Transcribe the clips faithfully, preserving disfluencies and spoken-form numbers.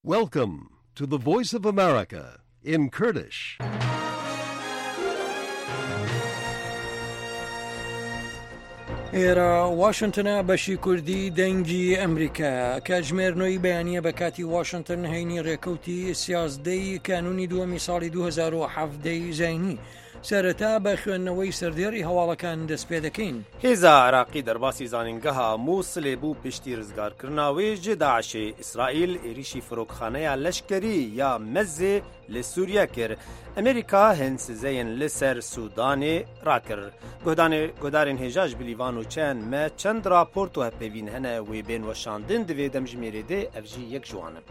Welcome to the Voice of America in Kurdish. ئێرە واشنتنە بەشی کوردی دەنگی ئەمریکا کاتژمێر نۆی بەیانیە بە کاتی واشنتن هەینی ڕێکەوتی سیازدەی کانونی دووەمی ساڵی دوو هەزار و حەڤدە ی زاینی. سەرەتا بە خوێندنەوەی سەردێڕی هەواڵەکان دەست پێ دەکەین. هێزا عراقی دەرباسی زانینگەها موسلێ بوو پشتی رزگارکردنا وێ ژ داعشێ، ئیسرائیل ئێریشی فرۆکخانەیا لەشکەری یا مەزێ ل سوریە کرد. ئەمریکا هند سزەیên li ser Sudanê rakir. Guhdanê guhdarên hêja ji bilî van nûçeyan me çend raport û hevpeyvîn hene wê bên weşandin divê demjimêrê dê ev jî yek ji wan in.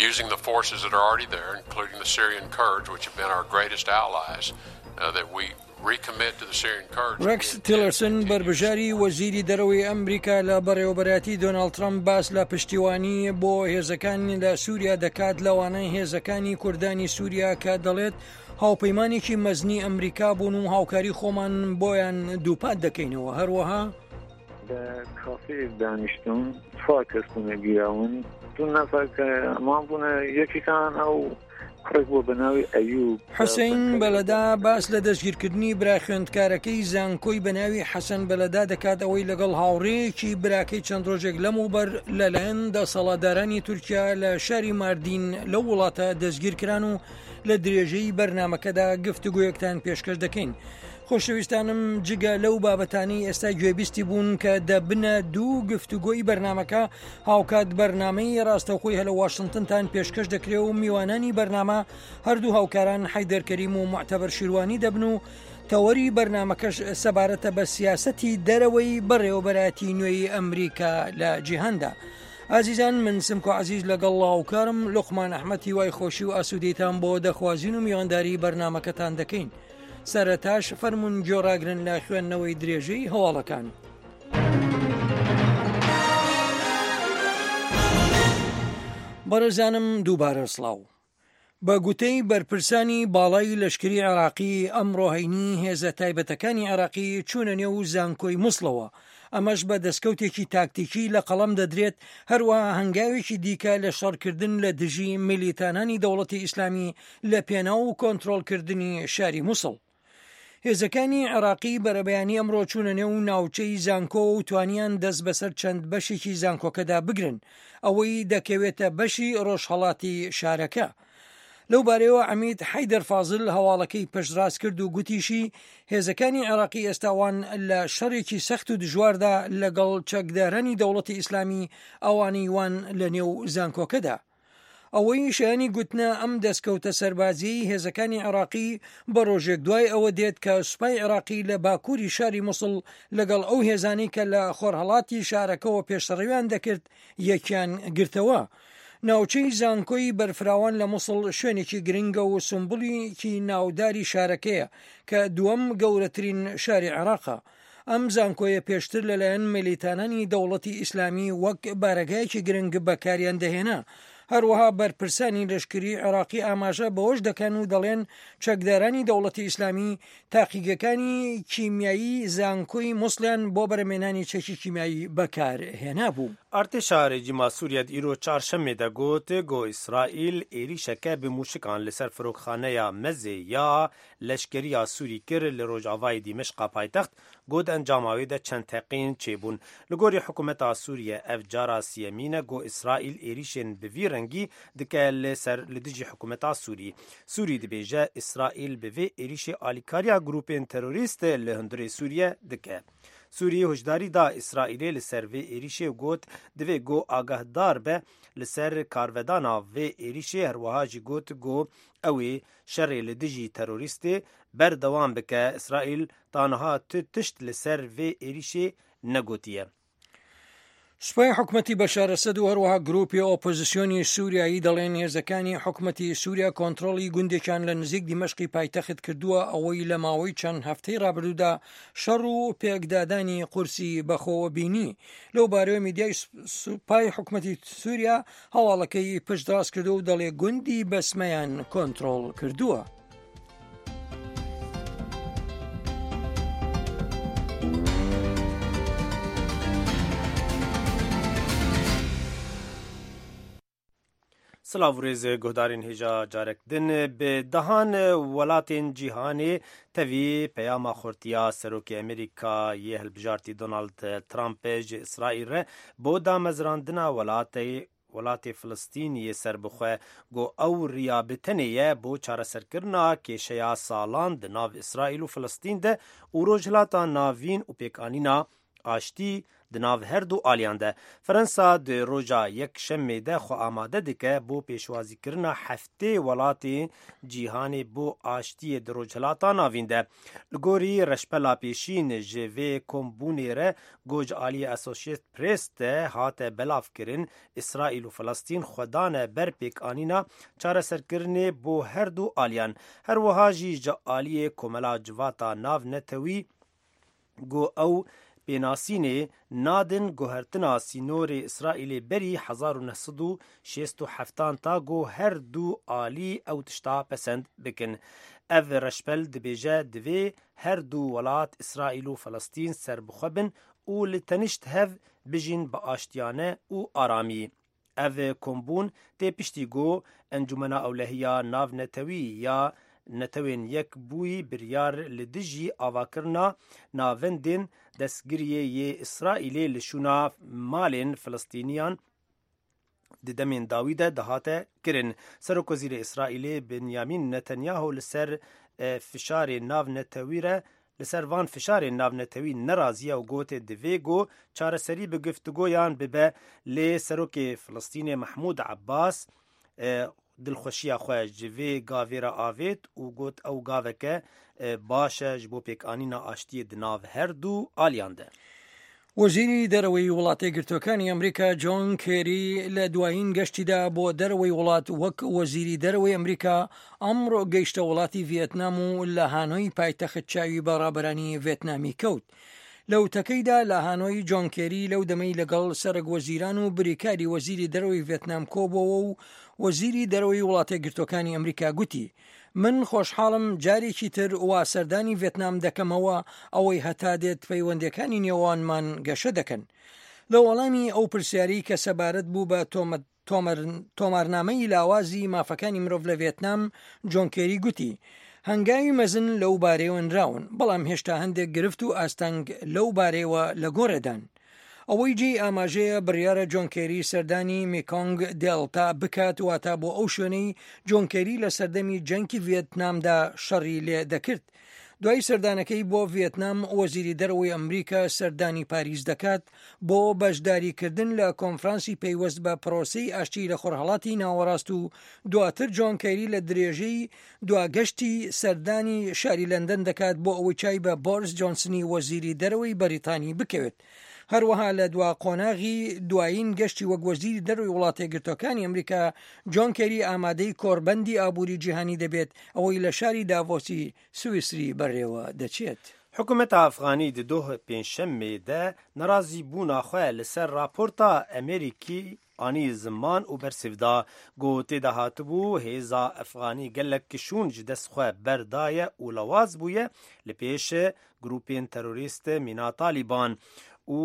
Using the forces that are already there, including the Syrian Kurds, which have been our greatest allies, uh, that we recommit to the Syrian Kurds. ڕێکس تیلەرسن بەربژاری وەزیری دەرەوەی ئەمریکا لە بەڕێوەبەرایەتی دۆناڵد ترەمپ باس لە پشتیوانی بۆ هێزەکان لە سووریا دەکات، لەوانە هێزەکانی کوردانی سووریا کە دەڵێت هاوپەیمانێکی مەزنی ئەمریکا بوون و هاوکاری خۆمان بۆیان دووپات دەکەینەوە. هەروەها لە کافەیەک دانیشتم، چوار کەس بوونە گیراون، دوو نەفەر کە ئەمان بوونە، یەکێکان ئەو کوڕێک بووە بە ناوی ئەیوب. حوسەین بەلەدا باس لە دەستگیرکردنی برا خوێندکارەکەی زانکۆی بە ناوی حەسەن بەلەدا دەکات، ئەوەی لەگەڵ هاوڕێیەکی براکەی چەند ڕۆژێک لەمەوبەر لەلایەن دەسەڵاتدارانی تورکیا لە شاری ماردین لەو وڵاتە دەستگیرکران و لە درێژەی بەرنامەکەدا گفتوگۆیەکتان پێشکەش دەکەین. خۆشەویستانم، جگە لەو بابەتانی ئێستا گوێبیستی بوون کە دەبنە دوو گفتوگۆی بەرنامەکە، هاوکات بەرنامەی ڕاستەوخۆی هەلە واشنگتنتان پێشکەش دەکرێ و میوانانی بەرنامە هەردوو هاوکاران حەیدەر کەریم و معتەبەر شیروانی دەبن و تەوەری بەرنامەکەش سەبارەتە بە سیاسەتی دەرەوەی بەڕێوەبەرایەتی نوێی ئەمریکا لە جیهاندا. ئازیزان، من سمکۆ عەزیز لەگەڵ هاوکارم لوقمان ئەحمەد هیوای خۆشی و ئاسوودەیتان بۆ دەخوازین و میوانداری بەرنامەکەتان دەکەین. سەرەتاش فەرمونون گوێڕاگرن لە خوێندنەوەی درێژەی هەواڵەکان. بەڕێزانم دووبارە سڵاو. بە گوتەی بەرپرسانی باڵای لەشکری عێراقی، ئەمڕۆ هەینی هێزە تایبەتەکانی عێراقی چوونە نێو زانکۆی موسڵەوە، ئەمەش بە دەستکەوتێکی تاکتیکی لە قەڵەم دەدرێت، هەروەها هەنگاوێکی دیکە لە شەڕکردن لە دژی میلیتانانی دەوڵەتی ئیسلامی لە پێناو و کۆنترۆڵکردنی شاری موسڵ. هێزەکانی عێراقی بەرەبەیانی ئەمڕۆ چوونە نێو ناوچەی زانکۆ و توانیان دەست بەسەر چەند بەشێکی زانکۆکەدا بگرن، ئەوەی دەکەوێتە بەشی ڕۆژهەڵاتی شارەکە. لەو بارەیەوە عەمید حەیدەر فازل هەواڵەکەی پشتڕاست کرد و گوتیشی هێزەکانی عێراقی ئێستاوان لە شەڕێکی سەخت و دژواردا لەگەڵ چەکدارانی دەوڵەتی ئیسلامی ئەوانەی وان لە نێو زانکۆکەدا. ئەوەی شایانی گوتنە ئەم دەستکەوتە سەربازیی هێزەکانی عێراقی بە ڕۆژێک دوای ئەوە دێت کە سوپای عێراقی لە باکووری شاری موسڵ لەگەڵ ئەو هێزانەی کە لە خۆرهەڵاتی شارەکەوە پێشڕەویان دەکرد یەکیان گرتەوە. ناوچەی زانکۆی بەرفراوان لە موسڵ شوێنێکی گرنگە و سمبوڵێکی ناوداری شارەکەیە کە دووەم گەورەترین شاری عێراقە. ئەم زانکۆیە پێشتر لەلایەن میلیتانانی دەوڵەتی ئیسلامی وەک بارەگایەکی گرنگ بەکاریان دەهێنا. هەروەها بەرپرسانی لەشکری عێراقی ئاماژە بەوەش دەکەن و دەڵێن چەکدارانی دەوڵەتی ئیسلامی تاقیگەکانی کیمیایی زانکۆی موسڵیان بۆ بەرەمێنانی چەکی کیمیایی بەکارهێنا بوو. ئەرتێشا رێجیما سووریا ئیرۆ چارشەممێ دەگوت گۆ ئیسرائیل ئێریشەکە بە موشکان لەسەر فرۆکخانەیە مەزێ یا لەشکرییا سووری کرد لە ڕۆژاوای دیمەشقا پایتەخت گوت ئەنجاماوێ دە چەند تەقین چێبوون. لە گۆری حکوومەتا سووریە ئەv جارا سیەمینە گۆ ئیسرائیل ئێریشên bi vî rengî dike li ser li dijî hikûmeta Sûrî. Sûrî dibêje İsraîl bi vê êrişê alîkariya grûpên terorîst li hundirê Sûriye dike. Sûriyê hişdarî da İsraîlê li ser vê êrişê û got divê got agahdar be li ser karvedana vê êrişê, herwiha jî got got ew ê şerê li dijî terorîstê berdewam bike. İsraîl ta niha tu tişt li ser vê êrişê negotiye. سوپای حکومەتی بەشار ئەسەد و هەروەها گروپی ئۆپۆزیسیۆنی سووریایی دەڵێن هێزەکانی حکومەتی سووریا کۆنترۆڵی گوندێکیان لە نزیک دیمەشقی پایتەخت کردووە، ئەوەی لە ماوەی چەند هەفتەی ڕابردوودا شەڕ و پێکدادانی قورسی بەخۆوە بینی. لەو بارەوە میدیای سوپای حکومەتی سووریا هەواڵەکەی پشتڕاست کردووە و دەڵێ گوندی بەسمەیان کۆنترۆڵ کردووە. سلاو ڕێز گۆدارین هێژا جارێک دن بە دەهان وڵاتên cîhanê tevî peyama xurtiya Serokê Amerîka yê hilbijartî Donald Trump ji Îsraîl re bo damezrandina welatê welatê Filistîniyê serbixwe got ew riya bi tenê ye bo çareserkirina kêşeya salan di nav Îsraîl û Filistîn de û rojhilata navîn û pêkanîna aştî di nav her du aliyan de. Fransa di roja yekşemê de xwe amade dike bo pêşwazîkirina heftê welatê cîhanê bo aştiyê di rojhilata navîn de. Li gorî reşpela pêşîn ji vê kombûnê re got ji aliyê Associated Press de hate belavkirin Îsraîl û Filistîn xwe dane ber pêkanîna çareserkirinê bo her du aliyan. Her wiha jî ji aliyê Komela Civata Navnetewî got ew pênasînê nadin guhertina sînorê Îsraîlê berî hezar û neh sed û şêst û heftan ta got her du alî ew tişta pesend bikin. Ev reşpel dibêje divê her du welat Îsraîl û Filistîn serbixwe bin û li tenişt hev bijîn bi aştiyane û aramî. Ev kombûn tê piştî got Encûmena Ewlehiya Navnetewî ya Netewên Yekbûyî biryar li dijî avakirina navendên destgiriyê yê Îsraîlê li şûna malên Filistîniyan di demên dawî de dihate kirin. Serokwezîrê Îsraîlê Benyamin Netanyahu li ser fişarê navnetewî re li ser van fişarên navnetewî neraziye û gotê divê got çareserî bi guftugoyan bibe lê Serokê Filistînê Mehmûd Abbas dilxweşiya xwe ji vê gavê re avêt û got ew gaveke baş e ji bo pêkanîna aştiyê di nav her du aliyan de. وەزیری دەرەوەی وڵاتە یەکگرتووەکانی ئەمریکا جۆن کێری لە دوایین گەشتیدا بۆ دەرەوەی وڵات وەک وەزیری دەرەوەی ئەمریکا ئەمڕۆ گەیشتە وڵاتی ڤێتنام و لە هانۆی پایتەخت چاوی بە ڕابەرانی ڤێتنامی کەوت. لە وتەکەیدا لە هانۆی جۆن کێری لەو دەمەی لەگەڵ سەرەک وەزیران و بریکاری وەزیری دەرەوەی ڤێتنام کۆبەوە و وەزیری دەرەوەی وڵاتە یەکگرتووەکانی ئەمریکا گوتی من خۆشحاڵم جارێکی تر وا سەردانی ڤێتنام دەکەمەوە ئەوەی هەتا دێت پەیوەندەکانی نێوانمان گەشە دەکەن. لە وەڵامی ئەو پرسیاری کە سەبارەت بوو بە تۆمارنامەی لاوازی مافەکانی مرۆڤ لە ڤێتنام، جۆن کێری گوتی هەنگاوی مەزن لەو بارەیەوە نراون، بەڵام هێشتا هەندێک گرفت و ئاستەنگ لەو بارەیەوە لە گۆڕێدان. ئەوەی جێی ئاماژەیە بڕیارە جۆن کێری سەردانی میکۆنگ دێلتا بکات، واتە بۆ ئەو شوێنەی جۆن کێری لە سەردەمی جەنگی ڤێتنامدا شەڕی لێ دەکرد. دوای سەردانەکەی بۆ ڤێتنام وەزیری دەرەوەی ئەمریکا سەردانی پاریس دەکات بۆ بەشداریکردن لە کۆنفرانسی پەیوەست بە پرۆسەی ئاشتی لە خۆرهەڵاتی ناوەڕاست و دواتر جۆن کێری لە درێژەی دواگەشتی سەردانی شاری لەندەن دەکات بۆ ئەوەی چای بە بۆریس جۆنسنی وەزیری دەرەوەی بەریتانی بکەوێت. هەروەها لە دوا قۆناغی دوایین گەشتی وەک وەزیری دەرەوەی وڵاتە یەکگرتووەکانی ئەمریکا جۆن کێری ئامادەی کۆربەندی ئابووری جیهانی دەبێت ئەوەی لە شاری داڤۆسی سوئیسری بەڕێوە دەچێت. حکوومەتە ئەفغانی di doh pêncşemê de nerazîbûna xwe li ser raporta Amerîkî anî ziman û bersiv da. Got tê de hatibû hêza Efxanî gelek kişûn ji dest xwe berdaye û lewaz bûye li pêş grûpên terorîst mîna Talîban û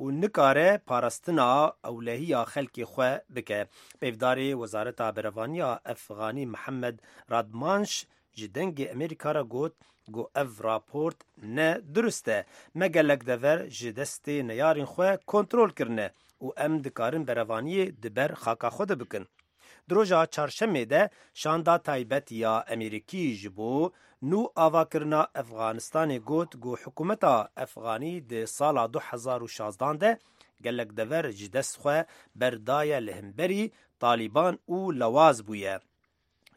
û nikare parastina ewlehiya xelkê xwe bike. Peyvdarê Wezareta Berevaniya Efxanî Mihemed Radmanş ji dengê Amerîka re got got ev raport ne durist e. Me gelek dever ji destê neyarên xwe kontrol kirine û em dikarin berevaniyê di ber xaka xwe de bikin. Di roja çarşemê de şanda taybet ya Amerîkî ji bo nû avakirina Efxanistanê got ku hikûmeta Efxanî di sala du hezar û şazdan de gelek dever ji dest xwe berdaye li hemberî Talîban û lewaz bûye.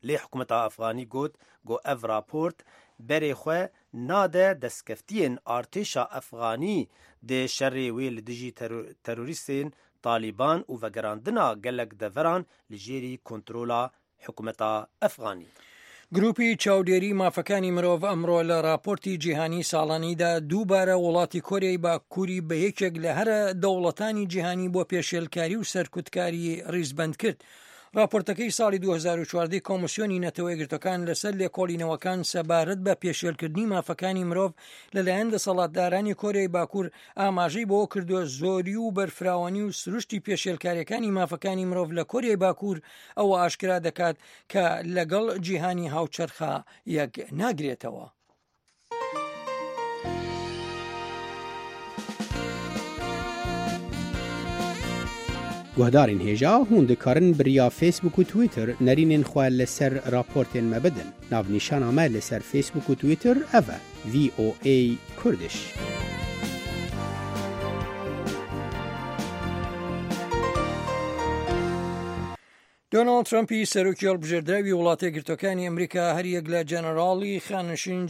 Lê hikûmeta Efxanî got ku ev raport berê xwe nade destkeftiyên artêşa Efxanî di şerê wê li dijî terorîstên Talîban û vegerandina gelek deveran li jêrî kontrola hikûmeta Efxanî. گروپی چاودێری مافەکانی مرۆڤ ئەمڕۆ لە راپۆرتی جیهانی ساڵانیدا دووبارە وڵاتی کۆریای باکووری بە یەکێک لە هەرە دەوڵەتانی جیهانی بۆ پێشێلکاری و سەرکوتکاری ڕیزبەند کرد. راپۆرتەکەی ساڵی دوو هەزار و چواردە کۆمیسیۆنی نەتەوە یەکگرتووەکان لەسەر لێکۆڵینەوەکان سەبارەت بە پێشێلکردنی مافەکانی مرۆڤ لەلایەن دەسەڵاتدارانی کۆریای باکوور ئاماژەی بەوە کردووە زۆری و بەرفراوانی و سروشتی پێشێلکاریەکانی مافەکانی مرۆڤ لە کۆریای باکوور ئەوە ئاشکرا دەکات کە لەگەڵ جیهانی هاوچەرخە یەک ناگرێتەوە. Guhdarên hêja hûn dikarin bi riya Facebook û Twitter nerînên xwe li ser raportên me bidin. Navnîşana me li ser Facebook û Twitter ev e: V O A Kurdish. دۆناڵد ترەمپی سەرۆکی هەڵبژێردراوی وڵاتە یەکگرتووەکانی ئەمریکا هەریەک لە جەنەراڵی خانشین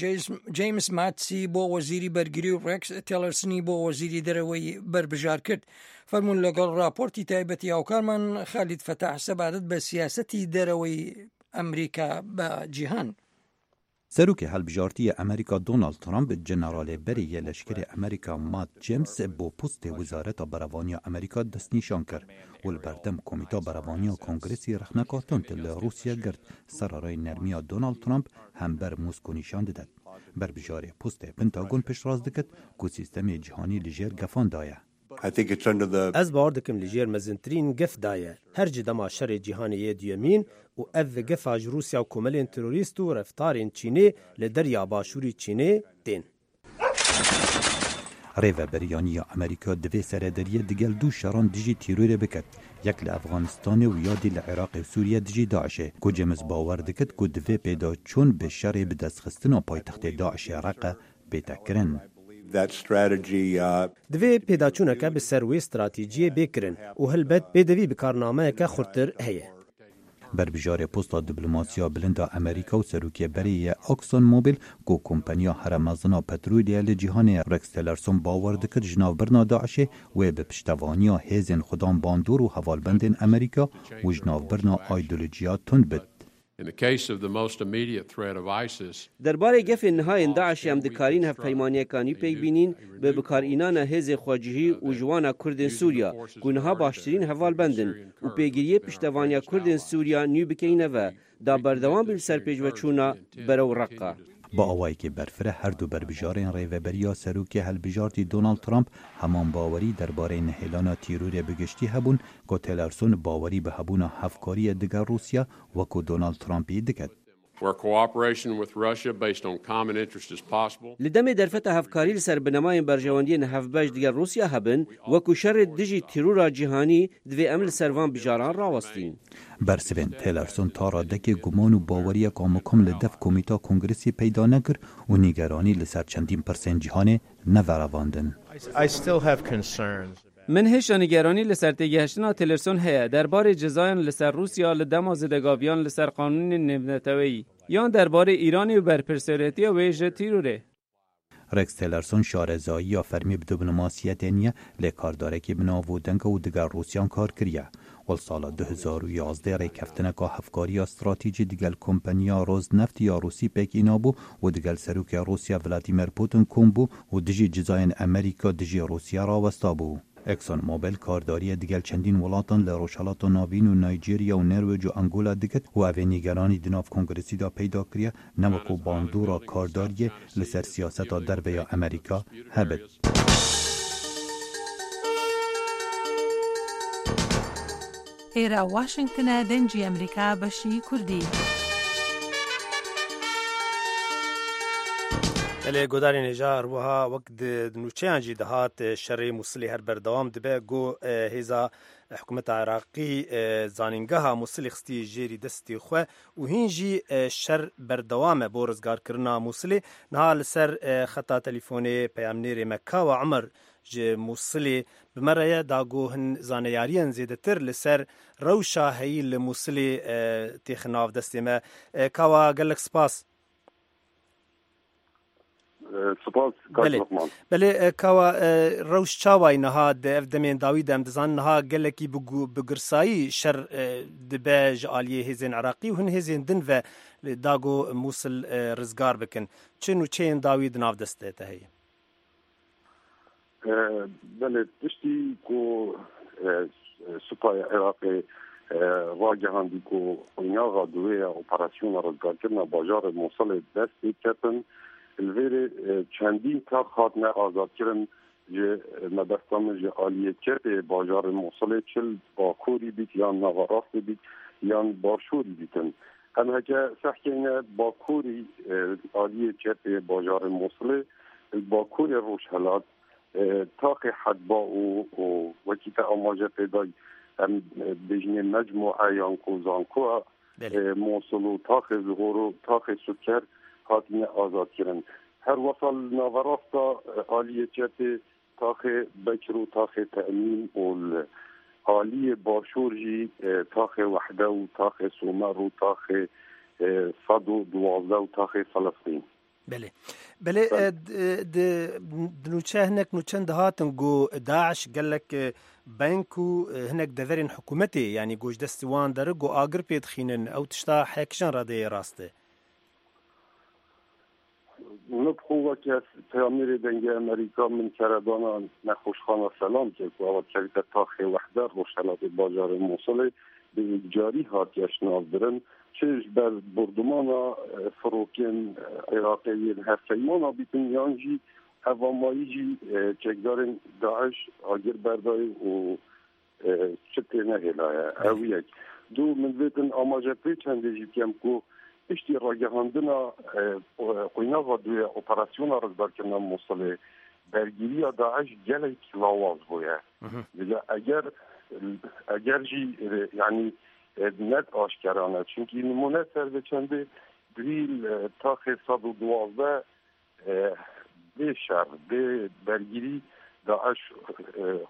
جەیمس ماتسی بۆ وەزیری بەرگری و ڕێکس تێلەرسنی بۆ وەزیری دەرەوەی بەربژار کرد. فەرمونون لەگەڵ راپۆرتی تایبەتی هاوکارمان خالید فەتاح سەبارەت بە سیاسەتی دەرەوەی ئەمریکا بە جیهان. سەرۆکی هەڵبژاردیە ئەمریکا دۆناڵد ترەمپ جەنەراڵێ بەرێ لەشکری ئەمریکا مات جێمس بۆ پۆستێ وەزارەتا بەرەڤانیا ئەمریکا دەستنیشان کرد و لە بەردەم کۆمیتا بەرەڤانیا کۆنگرسی ڕەخنەکا توند لە ڕووسیا گرت سەرەڕای نەرمییا دۆناڵد ترەمپ هەمبەر مۆسکۆ نیشان دەدات. بەربژارێ پۆستێ پنتاگۆن پشتڕاست دکرد کو سیستەمێ جیهانی لەژێر گەفاندایە. Ez bawer dikim li jêr mezintirîn gef daye. Her ji dema şerê cîhanê yê duyemîn û ev gefa ji Rûsya û komelên terorîst û reftarên Çînê li derya başûrî Çînê tên. Rêveberiyaniya Amerîka divê serederiyê digel du şeran dijî terorê biket. Yek li Efxanistanê û ya dî li Iraqê û Sûriye dijî Daişê. Ku James bawer dikit ku divê pêdaçûn bi şerê bi destxistina paytextê Daişê reqe bêtekirin. Divê pêdaçûneke bi ser wê stratejiyê bê kirin û helbet pêdivî bi karnameyeke xurttir heye. Berbijarê posta diplomasiya bilinda Amerîka û serokê berê yê Exxon Mobil ku kompaniya herî mezin a petrolê li cîhanê Rex Tillerson bawer dikir ji navbirina Daişê wê bi piştevaniya hêzên xwedan bandor û hevalbendên Amerîka û ji navbirina aydolojiya tund bit. Derbarê gefên nihayên Daişê em dikarîn hevpeymaniyeka nû pêk bînin bi bikarînana hêzê xwecihî û ji wana Kurdên Sûriya ku niha baştirîn hevalbend in û pêgiriyê piştevaniya Kurdên Sûriya nû bikeyne ve da berdewam bi ser pêşveçûna berew Reqqa. Bi awayekî berfireh her du berbijarên rêveberiya serokê hilbijartî Donald Trump heman bawerî derbarê nehêlana terorê bi giştî hebûn ku Tillerson bawerî bi hebûna hevkariyê digel Rûsya wekû Donald Trumpî diket. Li demê derfeta hevkarî li ser binemayên berjewendiyên hevbeş digel Rûsya hebin wekû şerê dijî terora cîhanî divê em li ser van bijaran rawestîn. Bersivên Tillerson ta radekê guman û baweriyeka mukim li dev komîta Kongresê peyda nekir û nîgeranî li ser çendîn pirsên cîhanê neverevandin. Min hêşa nîgeranî li ser têgihiştina Tillerson heye derbarê cezayên li ser Rûsya li dema zêdegaviyan li ser qanûnên navneteweyî yan derbarê Îranê û berpirsiyaretiya wê ji terorê. Rex Tillerson şarezayiya fermî bi diplomasiyetê niye lê kardarekî bi nav û deng û digel Rûsyan kar kiriye. Wel sala du hezar û yazdeh rêkeftineka hevkariya stratejî digel kompaniya Rosneft ya Rûsî pêk înabû û digel serokê Rûsya Vladimir Putin kom bû û dijî cezayên Amerîka dijî Rûsya rawesta bû. Exxon Mobil kardariye digel çendîn welatan li Rojhilata Navîn û Nijerya û Norwêc û Angola diket û ev ê nîgeranî di nav Kongresî de peyda kiriye ne wekû bandora kardariyê li ser siyaseta derve ya Amerîka hebit. ئێرە واشنگتنە دەنگی ئەمریکا بەشی کوردی. Lê godarên hêja wiha wek di nûçeyan jî dihat şerê Mûsilê her berdewam dibe got hêza hikûmeta Iraqî zanîngeha Mûsilê xistî jêrî destê xwe û hîn jî şer berdewam e bo rizgarkirina Mûsilê. Niha li ser xeta telefонê peyamnêrê me Kawa Umer ji Mûsilê bi me re ye da got hin zaneyariyên zêdetir li ser rewşa heyî li Mûsilê têxin nav destê me. Kawa gelek spas. سپاس Belê. Belê Kawa rewş çawa niha di ev demên dawî de em dizanin niha gelekî bi girsayî şer dibe ji aliyê hêzên Iraqî û hin hêzên din ve da got Mûsil rizgar bikin. Çi nûçeyên dawî di nav destê te heye? Belê piştî ku supaya Iraqê ڕاگەهاندی کو قۆناغا دوێ ئۆپەراسیۆنە ڕزگارکردنە باژارê Mosulê dest pê ketin li vêrê çendîn tax hatine azadkirin ji mebesta min ji aliyê çepê bajarê Mosulê çil bakurî bît yan naverastê bît yan başûrî bîtin. Em heke sehkêne bakurî aliyê çepê bajarê Mosulê bakurê Rojhelat taxê Hedba û wekî te amaje pê day em bêjinê mecmu'e yan ku zankoa Mosul û taxê Zuhor û taxê Suker hatine azadkirin. Her wesa li naverasta aliyê çepê taxê Bekir û taxê Temîn û li aliyê başûr jî taxê Wehde û taxê Somer û taxê sed û duwazdeh û taxê Filistîn. بله بله nûçe hinek nûçen dihatin ku Daeş gelek bank û hinek deverên hikûmetê yanî ku ji destê wan dere ku agir pê dixînin ew tişta hekijan radeyê rast e. Min bi xwe weke peyamnêrê Dengê Amerîka min keredana nexweşxana Selam kir ku ew dikevite taxê Wehde Rojhelatê bajarê Mosulê bi yekcarî hatiye şinavbirin çi ji ber bordumana firokên Iraqê yên hevpeymana bîtin yan jî hevamayî jî çekdarên Daeş agir berdayê û çi tê nehêlaye ew yek. Du min vêtin amaje pê çendê jî bikem ku piştî ragihandina qonaxa duê operasyona rizgarkirina Mosulê bergiriya Daeş gelek lawaz bûye. Eger eger jî yanî net aşkerane çünkü nimune ser vê çendê duhî taxê sed û duwazdeh bê şer bê bergirî Daeş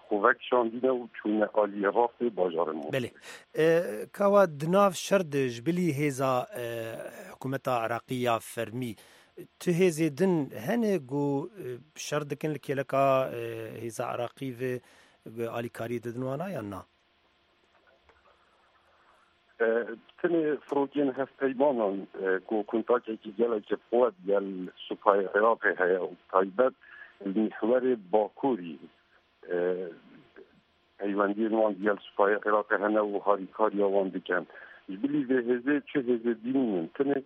xwe vekişandine û çûne aliyê rastê bajarê Mosulê. Belê. Kawa di nav şer de ji bilî hêza hikûmeta Iraqî ya fermî tu hêzê din hene ku şer dikin li kêleka hêza Iraqî ve alîkariyê didin wan yan na? Tenê firokên hevpeymanan ku kontakekî gelekî quwet gel supayê Iraqê heye û taybet li mihwerê Bakurî peywendiyên wan gel supayê Iraqê hene û harîkariya wan dikin. Ji bilî vê hêzê çi hêzê dînin tenê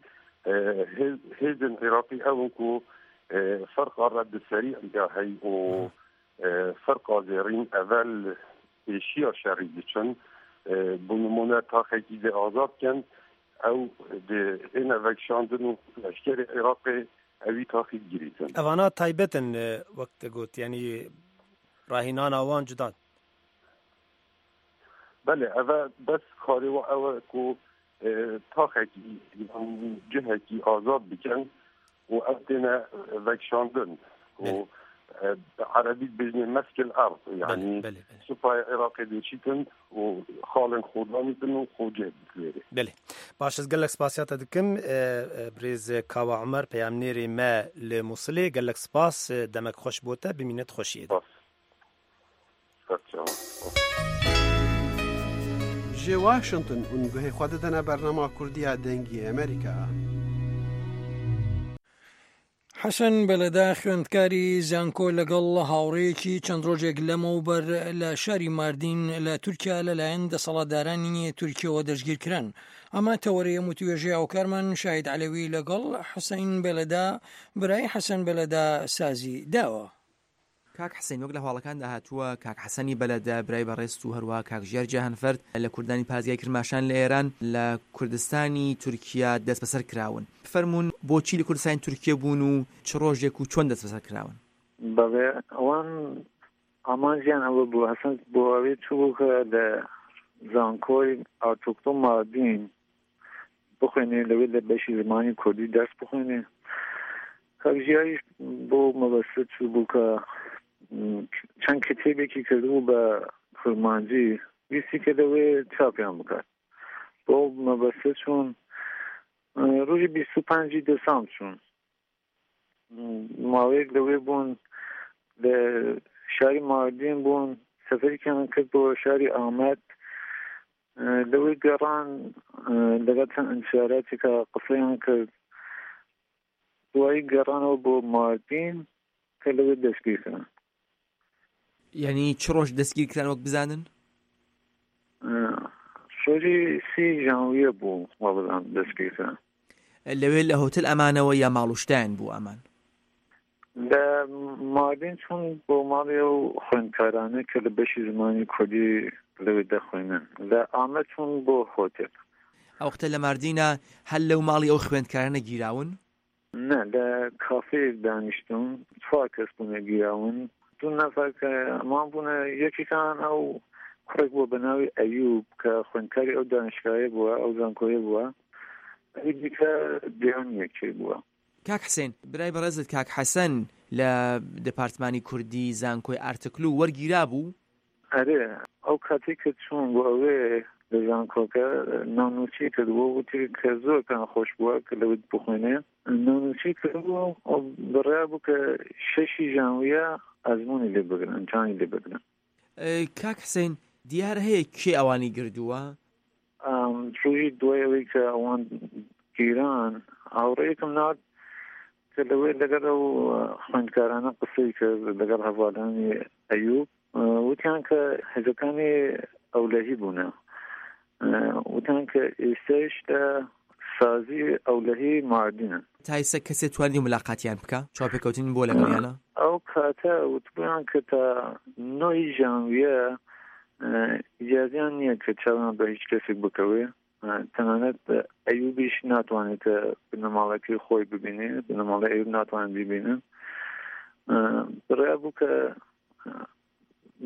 hêzên Iraqî ew in ku ferqa red serî ya hey û ferqa zêrîn evel pêşiya şerî diçin bo nimûne taxekî dê azad bikin ew dê êne vekişandin û leşkerê Iraqê ewî taxî digirîtin. Evana taybet in wek te got yanî rahînana wan cuda. Belê ev bes karê we ew e ku taxekî cihekî azad bikin û ew têne vekişandin û عربي بجني مسك الارض يعني سوپای عراقی دچیتن و خالن خودانیتن و خوجه بکوێرێ. بله باش ez gelek spasiya te dikim birêz Kawa Umer peyamnêrê me li Mosulê gelek spas demek xweş bo te bimîne xweşiyê de. Ji Washington hûn guhê xwe didine bernama Kurdiya Dengê Amerîka. حەسەن بەلەدا خوێندکاری زانکۆ لەگەڵ هاوڕێیەکی چەند ڕۆژێک لەمەوبەر لە شاری ماردین لە تورکیا لەلایەن دەسەڵاتدارانی تورکیەوە دەستگیرکران. ئەمە تەوەرەیە وتوێژی هاوکارمان شاهید عەلەوی لەگەڵ حوسەین بەلەدا برای حەسەن بەلەدا سازی داوە. کاک حسین وەک لە هەواڵەکاندا هاتووە کاک حەسەنی بەلەدا برای بەڕێست و هەروەها کاک ژیار جەهانفەرد لە کوردانی پارێزگای کرماشان لە ئێران لە کوردستانی تورکیا دەستبەسەر کراون. فەرموون بۆچی لە کوردستانی تورکیا بوون و چ ڕۆژێک و چۆن دەستبەسەر کراون؟ بەڵێ ئەوان ئامانجیان ئەوە بوو حەسەن بۆ ئەوێ چوو کە لە زانکۆی ئارتوکلۆ ماردین بخوێنێ لەوێ لە بەشی زمانی کوردی دەرس بخوێنێ. کاک ژیاریش بۆ مەبەستە چوو بوو کە چەند کتێبێکی کردبوو بە کرمانجی ویستی کە لەوێ چاپیان بکات. بۆ مەبەستە چوون ڕۆژی بیست و پەنجی دەسام چوون ماوەیەک لەوێ بوون لە شاری ماردین بوون سەفەرێکیان کرد بۆ شاری ئامەد لەوێ گەڕان لەگەڵ چەند ئینشاراتێکە قسەیان کرد دوایی گەڕانەوە بۆ ماردین کە لەوێ دەستگیر کران. یعنی چ ڕۆژ دەستگیر کران وەک بزانن؟ ڕۆژی سی ژانویە بوو وابزانم دەستگیرکران. لەوێ لە هۆتێل ئەمانەوە یا ماڵ و شتیان بوو ئەمان؟ لە ماردین چوون بۆ ماڵی ئەو خوێندکارانە کە لە بەشی زمانی کوردی لەوێ دەخوێنن. لە ئامەد چوون بۆ هۆتێل. ئەو وەختە لە ماردینە هەر لەو ماڵی ئەو خوێندکارانە گیراون؟ نا، لە کافێیەک دانیشتوون، چوار کەس بوونە گیراون. دوو نەفەر کە ئەمان بوونە، یەکێکان ئەو کوڕێک بووە بە ناوی ئەیوب کە خوێندکاری ئەو دانشگاهەیە بووە، ئەو زانکۆیە بووە، ئەوی دیکە دیار نییە کێ بووە. کاک حسێن، برای بەڕێزت کاک حەسەن لە دپارتمانی کوردی زانکۆی ئارتکلو وەرگیرابوو؟ ئەرێ، ئەو کاتەی کە چووم بۆ ئەوێ لە زانکۆکە ناونووسی کردبوو، وتی کە زۆر پێیان خۆش بووە کە لەوێ بخوێنێ. ناونووسی کردبوو و بڕیار بوو کە شەشی ژانویە ئەزموونی لێ بگرن، ئیمتیحانی لێ بگرن. کاک حسێن، دیار هەیە کێ ئەوانی گردووە؟ ڕۆژی دوای ئەوەی کە ئەوان گیران، هاوڕێیەکم نارد کە لەوێ لەگەڵ ئەو خوێندکارانە قسەی کرد، لەگەڵ هەڤالانی ئەیوب، وتیان کە هێزەکانی ئەولەهی بوونە، وتیان کە ئێستاش لە سازی ئەولەهی ماردینن. تا ئێستا کەسێ توانی ملاقاتیان بکا؟ چاوپێکەوتن بووە لەگەڵیانە؟ ئەو کاتە وتبوویان کە تا نۆی ژانویە ئیجازیان نییە کە چاویان بە هیچ کەسێک بکەوێ، تەنانەت ئەیوبیش ناتوانێت کە بنەماڵەکەی خۆی ببینێ، بنەماڵەی ئەیوب ناتوانێت بیبینن. بڕیار بوو کە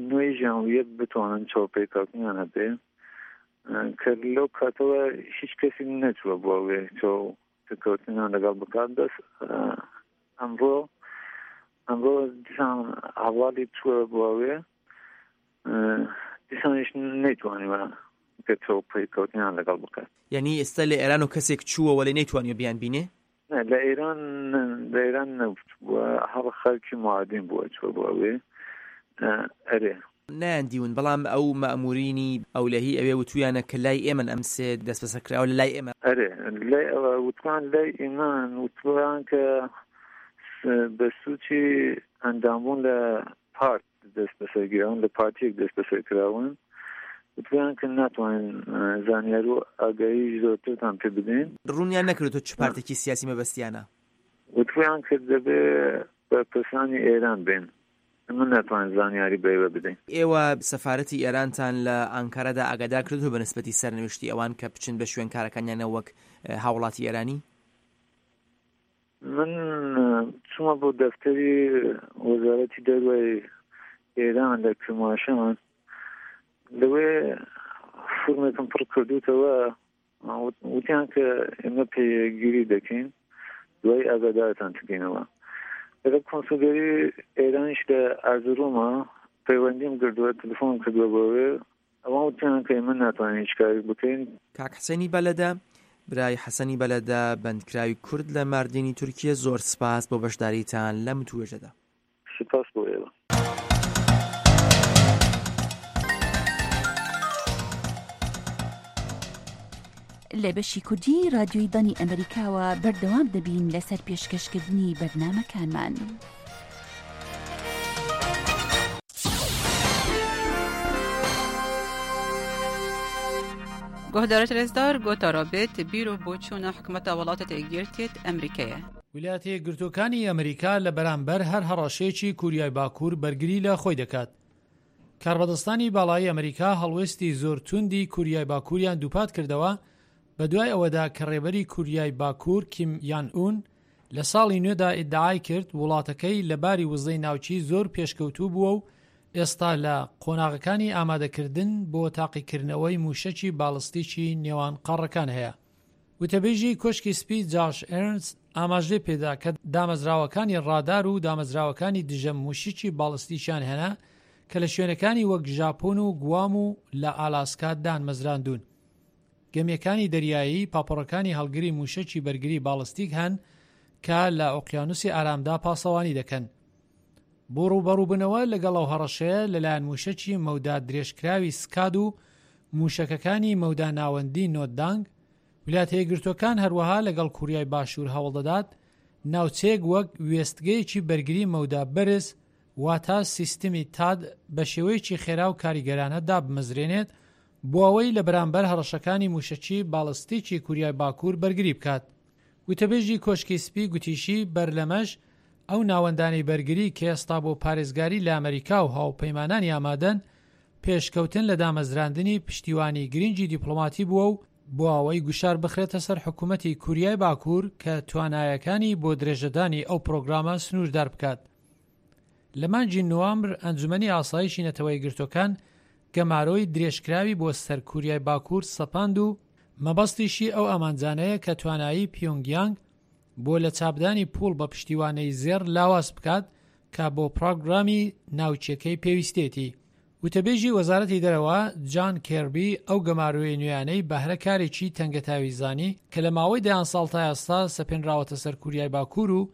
نۆی ژانویە بتوانن چاوپێکەوتنیان هەبێ، کە لەو کاتەوە هیچ کەسی نەچووە بۆ ئەوێ چاوپێکەوتنیان لەگەڵ بکات. بەس ئەمڕۆ ئەمڕۆ دیسان هەواڵی چووە بۆ ئەوێ، دیسانیش نەیتوانیوە کە چاوپێکەوتنیان لەگەڵ بکات. یعنی ئێستا لە ئێران و کەسێک چووە وەلێ نەیتوانیوە بیان بینێ؟ نه، لە ئێران لە ئێران نەبووە، هەر خەڵکی ماردین بووە چووە بۆ ئەوێ. ئەرێ نایان دیون، بەڵام ئەو مەئمورینی ئەولەهی ئەوێ وتویانە کە لای ئێمەن ئەم سێ دەستبەسەرکراوە لە لای ئێمە. ئەرێ لای ئەوە وتوان لای ئێمەن، وتوان کە بە سوچی ئەندامبوون لە پارت دەست بەسەرگیراون، لە پارتیەک دەست بەسەرکراون. وتوان کە ناتوانین زانیاری و ئاگاهی زۆرترتان پێ بدەین. ڕوونیان نەکردووە چ پارتێکی سیاسی مەبەستیانە؟ وتوان کە دەبێ بەرپرسانی ئێران بێن، ئێمە ناتوانین زانیاری بە ئێوە بدەین. ئێوە سەفارەتی ئێرانتان لە ئانکارەدا ئاگادار کردووە بە نسبەتی سەرنوێشتی ئەوان کە بچن بە شوێن کارەکانیانە وەک هاوڵاتی ئێرانی؟ من چوومە بۆ دەفتەری وەزارەتی دەروەی ئێران لە کرماشان، لەوێ فورمێکم پڕ کردوتەوە، وتیان کە ئێمە پێگیری دەکەین، دوای ئاگادارتان دەکەینەوە. لەگەڵ کۆنسولگەری ئێرانیش لە ئەرزرومە پەیوەندیم کردووە، تەلەفۆنم کردووە بۆ ئەوێ، ئەوان وتیان کە ئێمە ناتوانین هیچ کارێک بکەین. کاک حسێنی بەلەدە، برای حەسەنی بەلەدە، بەندکراوی کورد لە ماردینی تورکیە، زۆر سپاس بۆ بەشداریتان لەم وتوێژەدا. سپاس بۆ ئێوە. لە بەشی کوردی رادیۆی دەنگی ئەمریکاوە بەردەوام دەبین لەسەر پێشکەشکردنی بەرنامەکانمان. گۆهدارت رێزدار گۆتارا بێت بیر و بۆچوونە حکومەتە وڵاتە یەکگرتیت ئەمریکایە. ویلایەتە یەکگرتووەکانی ئەمریکا لە بەرامبەر هەر هەڕەشەیەکی کوریای باکوور بەرگری لە خۆی دەکات. کاربەدەستانی باڵایی ئەمریکا هەڵوێستی زۆر توندی کوریای باکووریان دووپات کردەوە بە دوای ئەوەدا کە ڕێبەری کوریای باکوور کیم یان ئون لە ساڵی نوێدا ئیدعای کرد وڵاتەکەی لە باری وزەی ناوچی زۆر پێشکەوتوو بووە و ئێستا لە قۆناغەکانی ئامادەکردن بۆ تاقیکردنەوەی موشەکی باڵستیکی نێوان قاڕەکان هەیە. وتەبێژی کۆشکی سپی جاش ئێرنست ئاماژەی پێدا کە دامەزراوەکانی ڕادار و دامەزراوەکانی دژە موشکی باڵستیکیان هەنا کە لە شوێنەکانی وەک ژاپۆن و گوام و لە ئالاسکا دانمەزراندوون. گەمیەکانی دەریایی پاپۆڕەکانی هەڵگری موشەکی بەرگری باڵستیک هەن کە لە ئۆقیانوسی ئارامدا پاسەوانی دەکەن. بۆ ڕووبەڕووبوونەوە لەگەڵ ئەو هەڕەشەیە لەلایەن موشەکی مەودا درێژکراوی سکاد و موشەکەکانی مەودا ناوەندی نۆدانگ، ویلایەتە یەکگرتووەکان هەروەها لەگەڵ کوریای باشوور هەوڵدەدات ناوچەیەک وەک وێستگەیەکی بەرگری مەودا بەرز واتە سیستمی تاد بە شێوەیەکی خێرا و کاریگەرانە دابمەزرێنێت بۆ ئەوەی لە بەرامبەر هەڕەشەکانی مووشەکی باڵستیکی کوریای باکوور بەرگری بکات. وتەبێژی کۆشکی سپی گوتیشی بەر لەمەش ئەو ناوەندانەی بەرگری کە ئێستا بۆ پارێزگاری لە ئەمریکا و هاوپەیمانانی ئامادەن پێشکەوتن لە دامەزراندنی پشتیوانی گرنگی دیپلۆماتی بووە و بۆ ئەوەی گوشار بخرێتە سەر حکوومەتی کوریای باکوور کە توانایەکانی بۆ درێژەدانی ئەو پرۆگرامە سنووردار بکات. لە مانگی نوامبر ئەنجومەنی ئاسایشی نەتەوە یەکگرتووەکان گەمارۆی درێژکراوی بۆ سەر کوریای باکوور سەپاند و مەبەستیشی ئەو ئامانجانەیە کە توانایی پیۆنگیانگ بۆ لە چاپدانی پوڵ بە پشتیوانەی زێڕ لاواز بکات کە بۆ پرۆگرامی ناوچەکەی پێویستێتی. وتەبێژی وەزارەتی دەرەوە جان کێربی ئەو گەمارۆی نوێیانەی بەهرە کارێکی تەنگەتاوی زانی کە لە ماوەی دەیان ساڵ تا ئێستا سەپێنراوەتە سەر کوریای باکوور و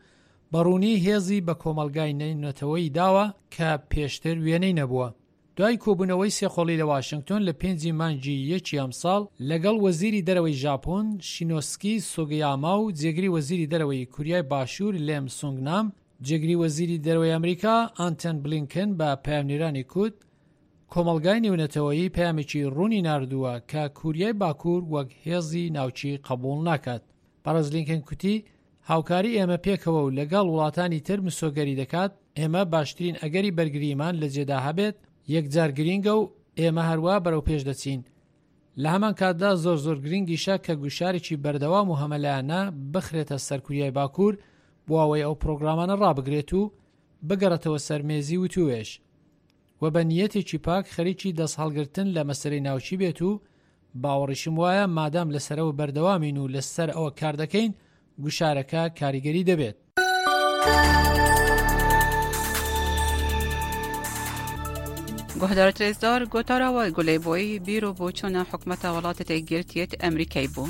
بەڕوونی هێزی بە کۆمەڵگای نەتەوەیی داوە کە پێشتر وێنەی نەبووە. دوای کۆبوونەوەی سێقۆڵی لە واشنگتۆن لە پێنجی مانگی یەکی ئەمساڵ لەگەڵ وەزیری دەرەوەی ژاپۆن شینۆسکی سوگیاما و جێگری وەزیری دەرەوەی کوریای باشوور لێم سونگنام، جێگری وەزیری دەرەوەی ئەمریکا ئانتۆن بلینکن بە پەیامنێرانی کوت کۆمەڵگای نێونەتەوەیی پەیامێکی ڕوونی ناردووە کە کوریای باکوور وەک هێزی ناوچی قبوڵ ناکات. بەڕێز لینکن کوتی هاوکاری ئێمە پێکەوە و لەگەڵ وڵاتانی تر مسۆگەری دەکات ئێمە باشترین ئەگەری بەرگریمان لە جێدا هەبێت، یەکجار گرینگە و ئێمە هەروە بەرەو پێش دەچین. لە هەمان کاتدا زۆر زۆر گرنگیشە کە گوشارێکی بەردەوام و هەمەلایەنە بخرێتە سەر کوریای باکوور بۆ ئەوەی ئەو پرۆگرامانە ڕابگرێت و بگەڕێتەوە سەر مێزی وتوێژ و بە نیەتێکی پاک خەریکی دەست هەڵگرتن لە مەسەرەی ناوچی بێت و باوەڕیشم وایە مادام لەسەرەوە بەردەوامین و لەسەر ئەوە کار دەکەین گوشارەکە کاریگەری دەبێت. گوهدار رێزدار گوتارەوە گولەی بۆی بیر و بۆچوونە حکومەتە وڵاتە یەکگرتیەت ئەمریکای بوو.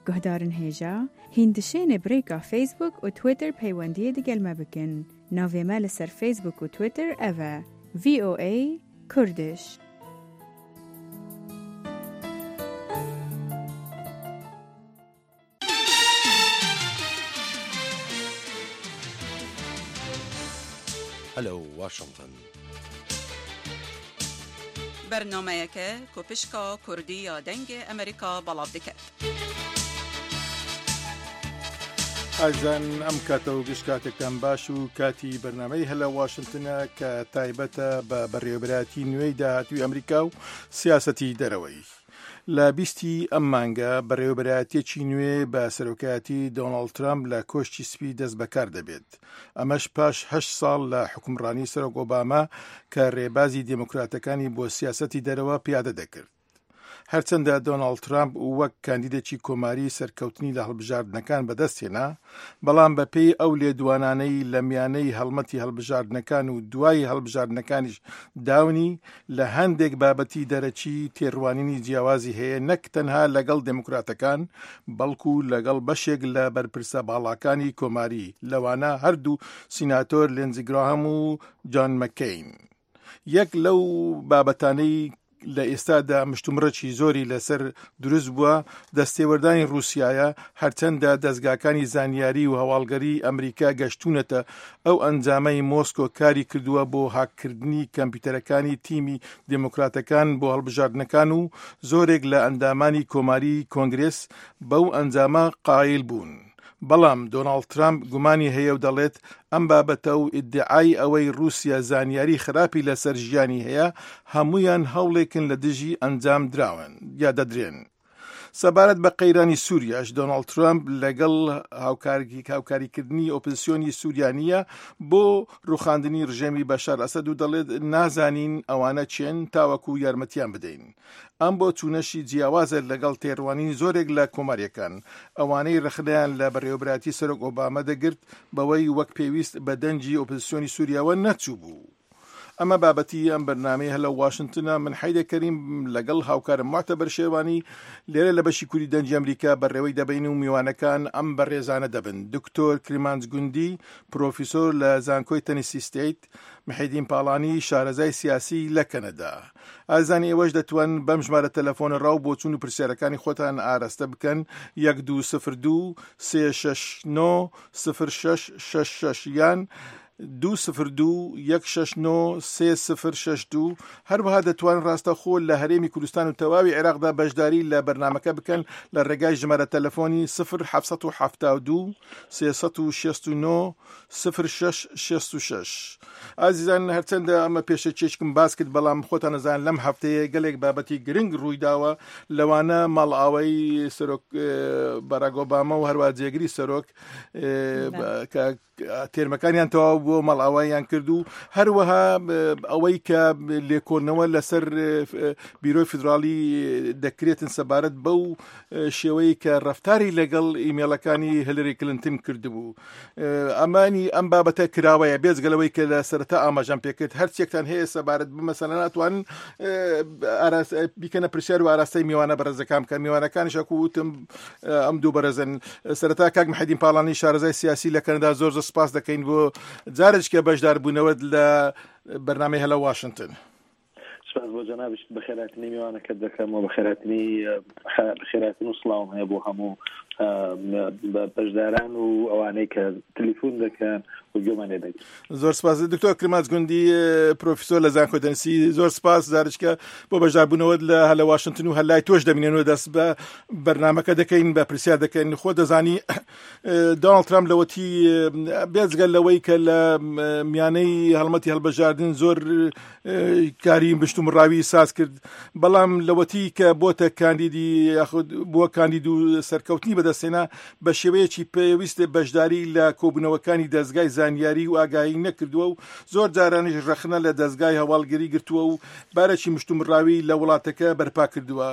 گوهدارن هێژا هیندشێنێ برێکا فەیسبوک و تویتر پەیوەندیە دگەل مە بکن. ناوێ مە لەسەر فەیسبوک و تویتر ئەوە ڤی ئۆ ئەی کوردش. Hello Washington. بەرنامەیەکە کۆپشکا کوردی یا دەنگ ئەمریکا بەڵاو دەکات. ئازان ئەم کاتە و گشت کاتێکتان باش و کاتی بەرنامەی هەلە واشنگتنە کە تایبەتە بە بەڕێوەبەرایەتی نوێی داهاتووی ئەمریکا و سیاسەتی دەرەوەی. لە بیستی ئەم مانگە بەڕێوەبەرایەتیەکی نوێ بە سەرۆکایەتی دۆناڵد ترامپ لە کۆشکی سپی دەست بەکار دەبێت. ئەمەش پاش هەشت ساڵ لە حکومڕانی سەرۆک ئۆباما کە ڕێبازی دێموکراتەکانی بۆ سیاسەتی دەرەوە پیادە دەکرد. هەرچەندە دۆناڵد ترامپ وەک کاندیدێکی کۆماری سەرکەوتنی لە هەڵبژاردنەکان بەدەستهێنا، بەڵام بەپێی ئەو لێدوانانەی لە میانەی هەڵمەتی هەڵبژاردنەکان و دوای هەڵبژاردنەکانیش داونی لە هەندێک بابەتی دەرەکی تێڕوانینی جیاوازی هەیە، نەک تەنها لەگەڵ دێموکراتەکان بەڵکو لەگەڵ بەشێک لە بەرپرسە باڵاکانی کۆماری، لەوانە هەردوو سیناتۆر لینزی گراهام و جان مەکەین. یەک لەو بابەتانەی لە ئێستادا مشتومڕێکی زۆری لەسەر دروست بووە دەستێوەردانی ڕووسیایە، هەرچەندە دەستگاکانی زانیاری و هەواڵگەری ئەمریکا گەشتونەتە ئەو ئەنجامەی مۆسکۆ کاری کردووە بۆ هاککردنی کەمپیوتەرەکانی تیمی دێموکراتەکان بۆ هەڵبژاردنەکان و زۆرێک لە ئەندامانی کۆماری کۆنگرس بەو ئەنجامە قایل بوون. بەڵام دۆناڵد ترامپ گومانی هەیە و دەڵێت ئەم بابەتە و ئیدعای ئەوەی ڕووسیا زانیاری خراپی لەسەر ژیانی هەیە هەمویان هەوڵێکن لە دژی ئەنجام دراون یا دەدرێن. سەبارەت بە قەیرانی سووریاش دۆناڵد ترامپ لەگەڵ هاوکاریکردنی ئۆپۆزیسیۆنی سووریانیە بۆ ڕوخاندنی ڕژێمی بەشار ئەسەد و دەڵێت نازانین ئەوانە چێن تاوەکو یارمەتیان بدەین. ئەم بۆ چوونەشی جیاوازە لەگەڵ تێڕوانینی زۆرێک لە کۆماریەکان، ئەوانەی ڕەخنەیان لە بەڕێوەبەرایەتی سەرۆک ئۆباما دەگرت بەوەی وەک پێویست بە دەنگی ئۆپۆزیسیۆنی سووریاوە نەچوو بوو. ئەمە بابەتی ئەم بەرنامەی هەلە واشنگتنە. من حەیدە کەریم لەگەڵ هاوکارم معتەبەر شێوانی لێرە لە بەشی کوردی دەنگی ئەمریکا بەڕێوەی دەبین و میوانەکان ئەم بەڕێزانە دەبن: دکتۆر کرمانج گوندی، پرۆفیسۆر لە زانکۆی تەنیسی ستەیت، محیدین پاڵانی، شارەزای سیاسی لە کەنەدا. ئازانی ئێوەش دەتوان بەم ژمارە تەلەفۆنە ڕاو بۆچوون و پرسیارەکانی خۆتان ئاراستە بکەن: یەک دوو سفر دوو سێ شەش نۆ سفر شەش شەش شەش یان دوو سفر دوو یەک شەش نۆ سێ سفر شەش دوو. هەروەها دەتوانن ڕاستەخۆ لە هەرێمی کوردستان و تەواوی عێراقدا بەشداری لە بەرنامەکە بکەن لە ڕێگای ژمارە تەلەفۆنی سفر حەفت سەد و حەفتا و دوو سێ سەد و شەست و نۆ سفر شەش شەست و شەش. ئازیزان، هەرچەندە ئەمە پێشەکیشکم باس کرد، بەڵام خۆتان نەزان لەم هەفتەیە گەلێک بابەتی گرنگ ڕوویداوە، لەوانە ماڵئاوای سەرۆک باراک ئۆباما و هەروە جێگری سەرۆک کە تێرمەکانیان تەواو بووە ماڵئاواییان کرد و هەروەها ئەوەی کە لێکۆڵنەوە لەسەر بیرۆی فیدراڵی دەکرێتن سەبارەت بەو شێوەیە کە ڕەفتاری لەگەڵ ئیمێڵەکانی هیلری کلینتن کردبوو. ئەمانی ئەم بابەتە کراوەیە، بێجگە لەوەی کە لە سەرەتا ئاماژەم پێکرد. هەرچێکتان هەیە سەبارەت بە مەسەلەن ئەتوانن بیکەنە پرسیار و ئاراستەی میوانە بەڕێزەکان بکەن. میوانەکانیش وەکو وتم ئەم دوو بەڕێزن. سەرەتا کاک محەدین پاڵانی شارەزای سیاسی لە کەنەدا، زۆر زۆر سپاس دەکەین بۆ جارێککە بەشداربوونەوەت لە بەرنامەی هەلە واشنگتن. سپاس بۆ جەنابیشت، بەخێراتنی میوانەکەت دەکەم و بەخێراتنی بەخێراتن و سڵاوم هەیە بۆ هەموو بەشداران و ئەوانەی کە تەلەفۆن دەکەن و گوێمان لێ دەگرن. زۆر سپاس دکتۆر کرماج گوندی، پرۆفیسۆر لە زانکۆی دەنسی، زۆر سپاس جارێککە بۆ بەشداربوونەوەت لە هەلە واشنگتن و هەلای تۆش دەبینێنەوە. دەست بە بەرنامەکە دەکەین، بە پرسیار دەکەین. خۆ دەزانی دۆناڵد ترامپ لەوەتی بێجگە لەوەی کە لە میانەی هەڵمەتی هەڵبژاردن زۆر کاری مشتومڕاوی ساز کرد، بەڵام لەوەتی کە بۆتە کاندیدی یاخود بووە کاندید و سەرکەوتنی بەدەستێنا، بە شێوەیەکی پێویست بەشداری لە کۆبوونەوەکانی دەستگای زانیاری و ئاگاهی نەکردووە و زۆر جارانیش ڕەخنە لە دەستگای هەواڵگری گرتووە و بارێکی مشتومڕاوی لە وڵاتەکە بەرپا کردووە.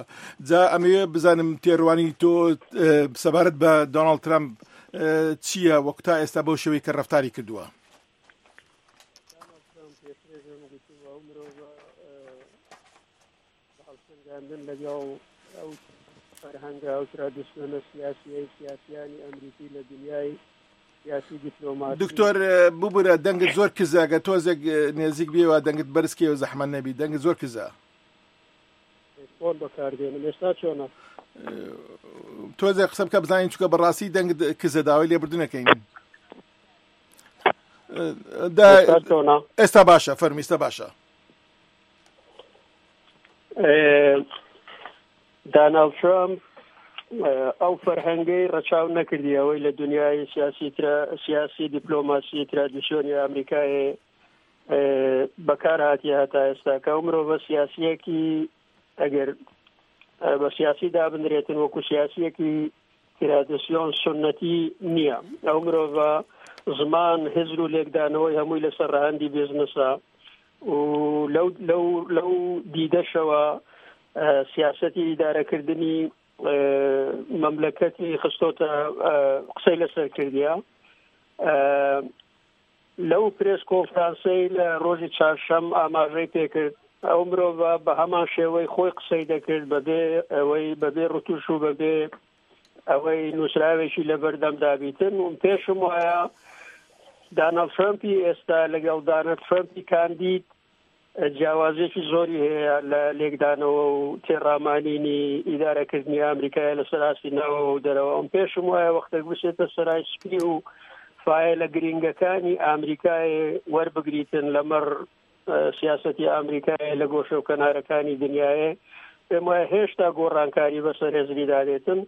جا ئەمەوێ بزانم تێڕوانی تۆ سەبارەت بە دۆناڵد ترامپ چییە وەک تا ئێستا بەو شێوەی کە ڕەفتاری کردووە؟ لەگەڵ ئەو فەرهەنگە ئەو ترادیسیۆنە سیاسیەی سیاسیانی ئەمریکی لە دنیای سیاسی دیپلۆماسی. دکتۆر ببورە دەنگت زۆر کزە، ئەگەر تۆزێک نێزیک بێەوە دەنگت بەرزکەوە زەحمەت نەبی، دەنگت زۆر کزە. فۆن بەکاردێنم ئێستا چۆنە؟ تۆزێک قسە بکە بزانین، چونکە بەڕاستی دەنگت کزە، داوای لێبوردنەکەین. ئێستا باشە، فەرمی ئێستا باشە. داناڵد ترامپ ئەو فەرهەنگەی ڕەچاو نەکردی ئەوەی لە دنیای سیاسی سیاسی دیپلۆماسی ترادیسیۆنی ئەمریکای بەکار هاتیە هەتا ئێستا، کە ئەو مرۆڤە سیاسیەکی ئەگەر بە سیاسی دابنرێتن وەکو سیاسیەکی ترادیسیۆن سنەتی نییە. ئەو مرۆڤە زمان هزر و لێکدانەوەی هەمووی لەسەر ڕەهەندی بزنسە و لەو لەو لەو دیدەشەوە سیاسەتی ئیدارەکردنی مەملەکەتی خستۆتە قسەی لەسەر کردیە. لەو پرێس کۆنفرانسەی لە ڕۆژی چهارشەم ئاماژەی پێکرد، ئەو مرۆڤە بە هەمان شێوەی خۆی قسەی دەکرد، بەبێ ئەوەی بەبێ ڕتوش و بەبێ ئەوەی نووسراوێکی لەبەردەمدا بیتن. و پێشم وایە داناڵد ترەمپی ئێستا لەگەڵ داناڵد ترەمپی کاندید جیاوازێکی زۆری هەیە لە لێکدانەوە و تێڕامانینی ئیدارەکردنی ئەمریکایە لەسەر ئاستی ناوەوە و دەرەوە. ئەم پێشم وایە وەختێک بچێتە سەرای سپی و فایلە گرینگەکانی ئەمریکای وەربگریتن لەمەڕ سیاسەتی ئەمریکای لە گۆشە و کەنارەکانی دنیاە، پێم وایە هێشتا گۆڕانکاری بەسەر هێزریدا دێتن.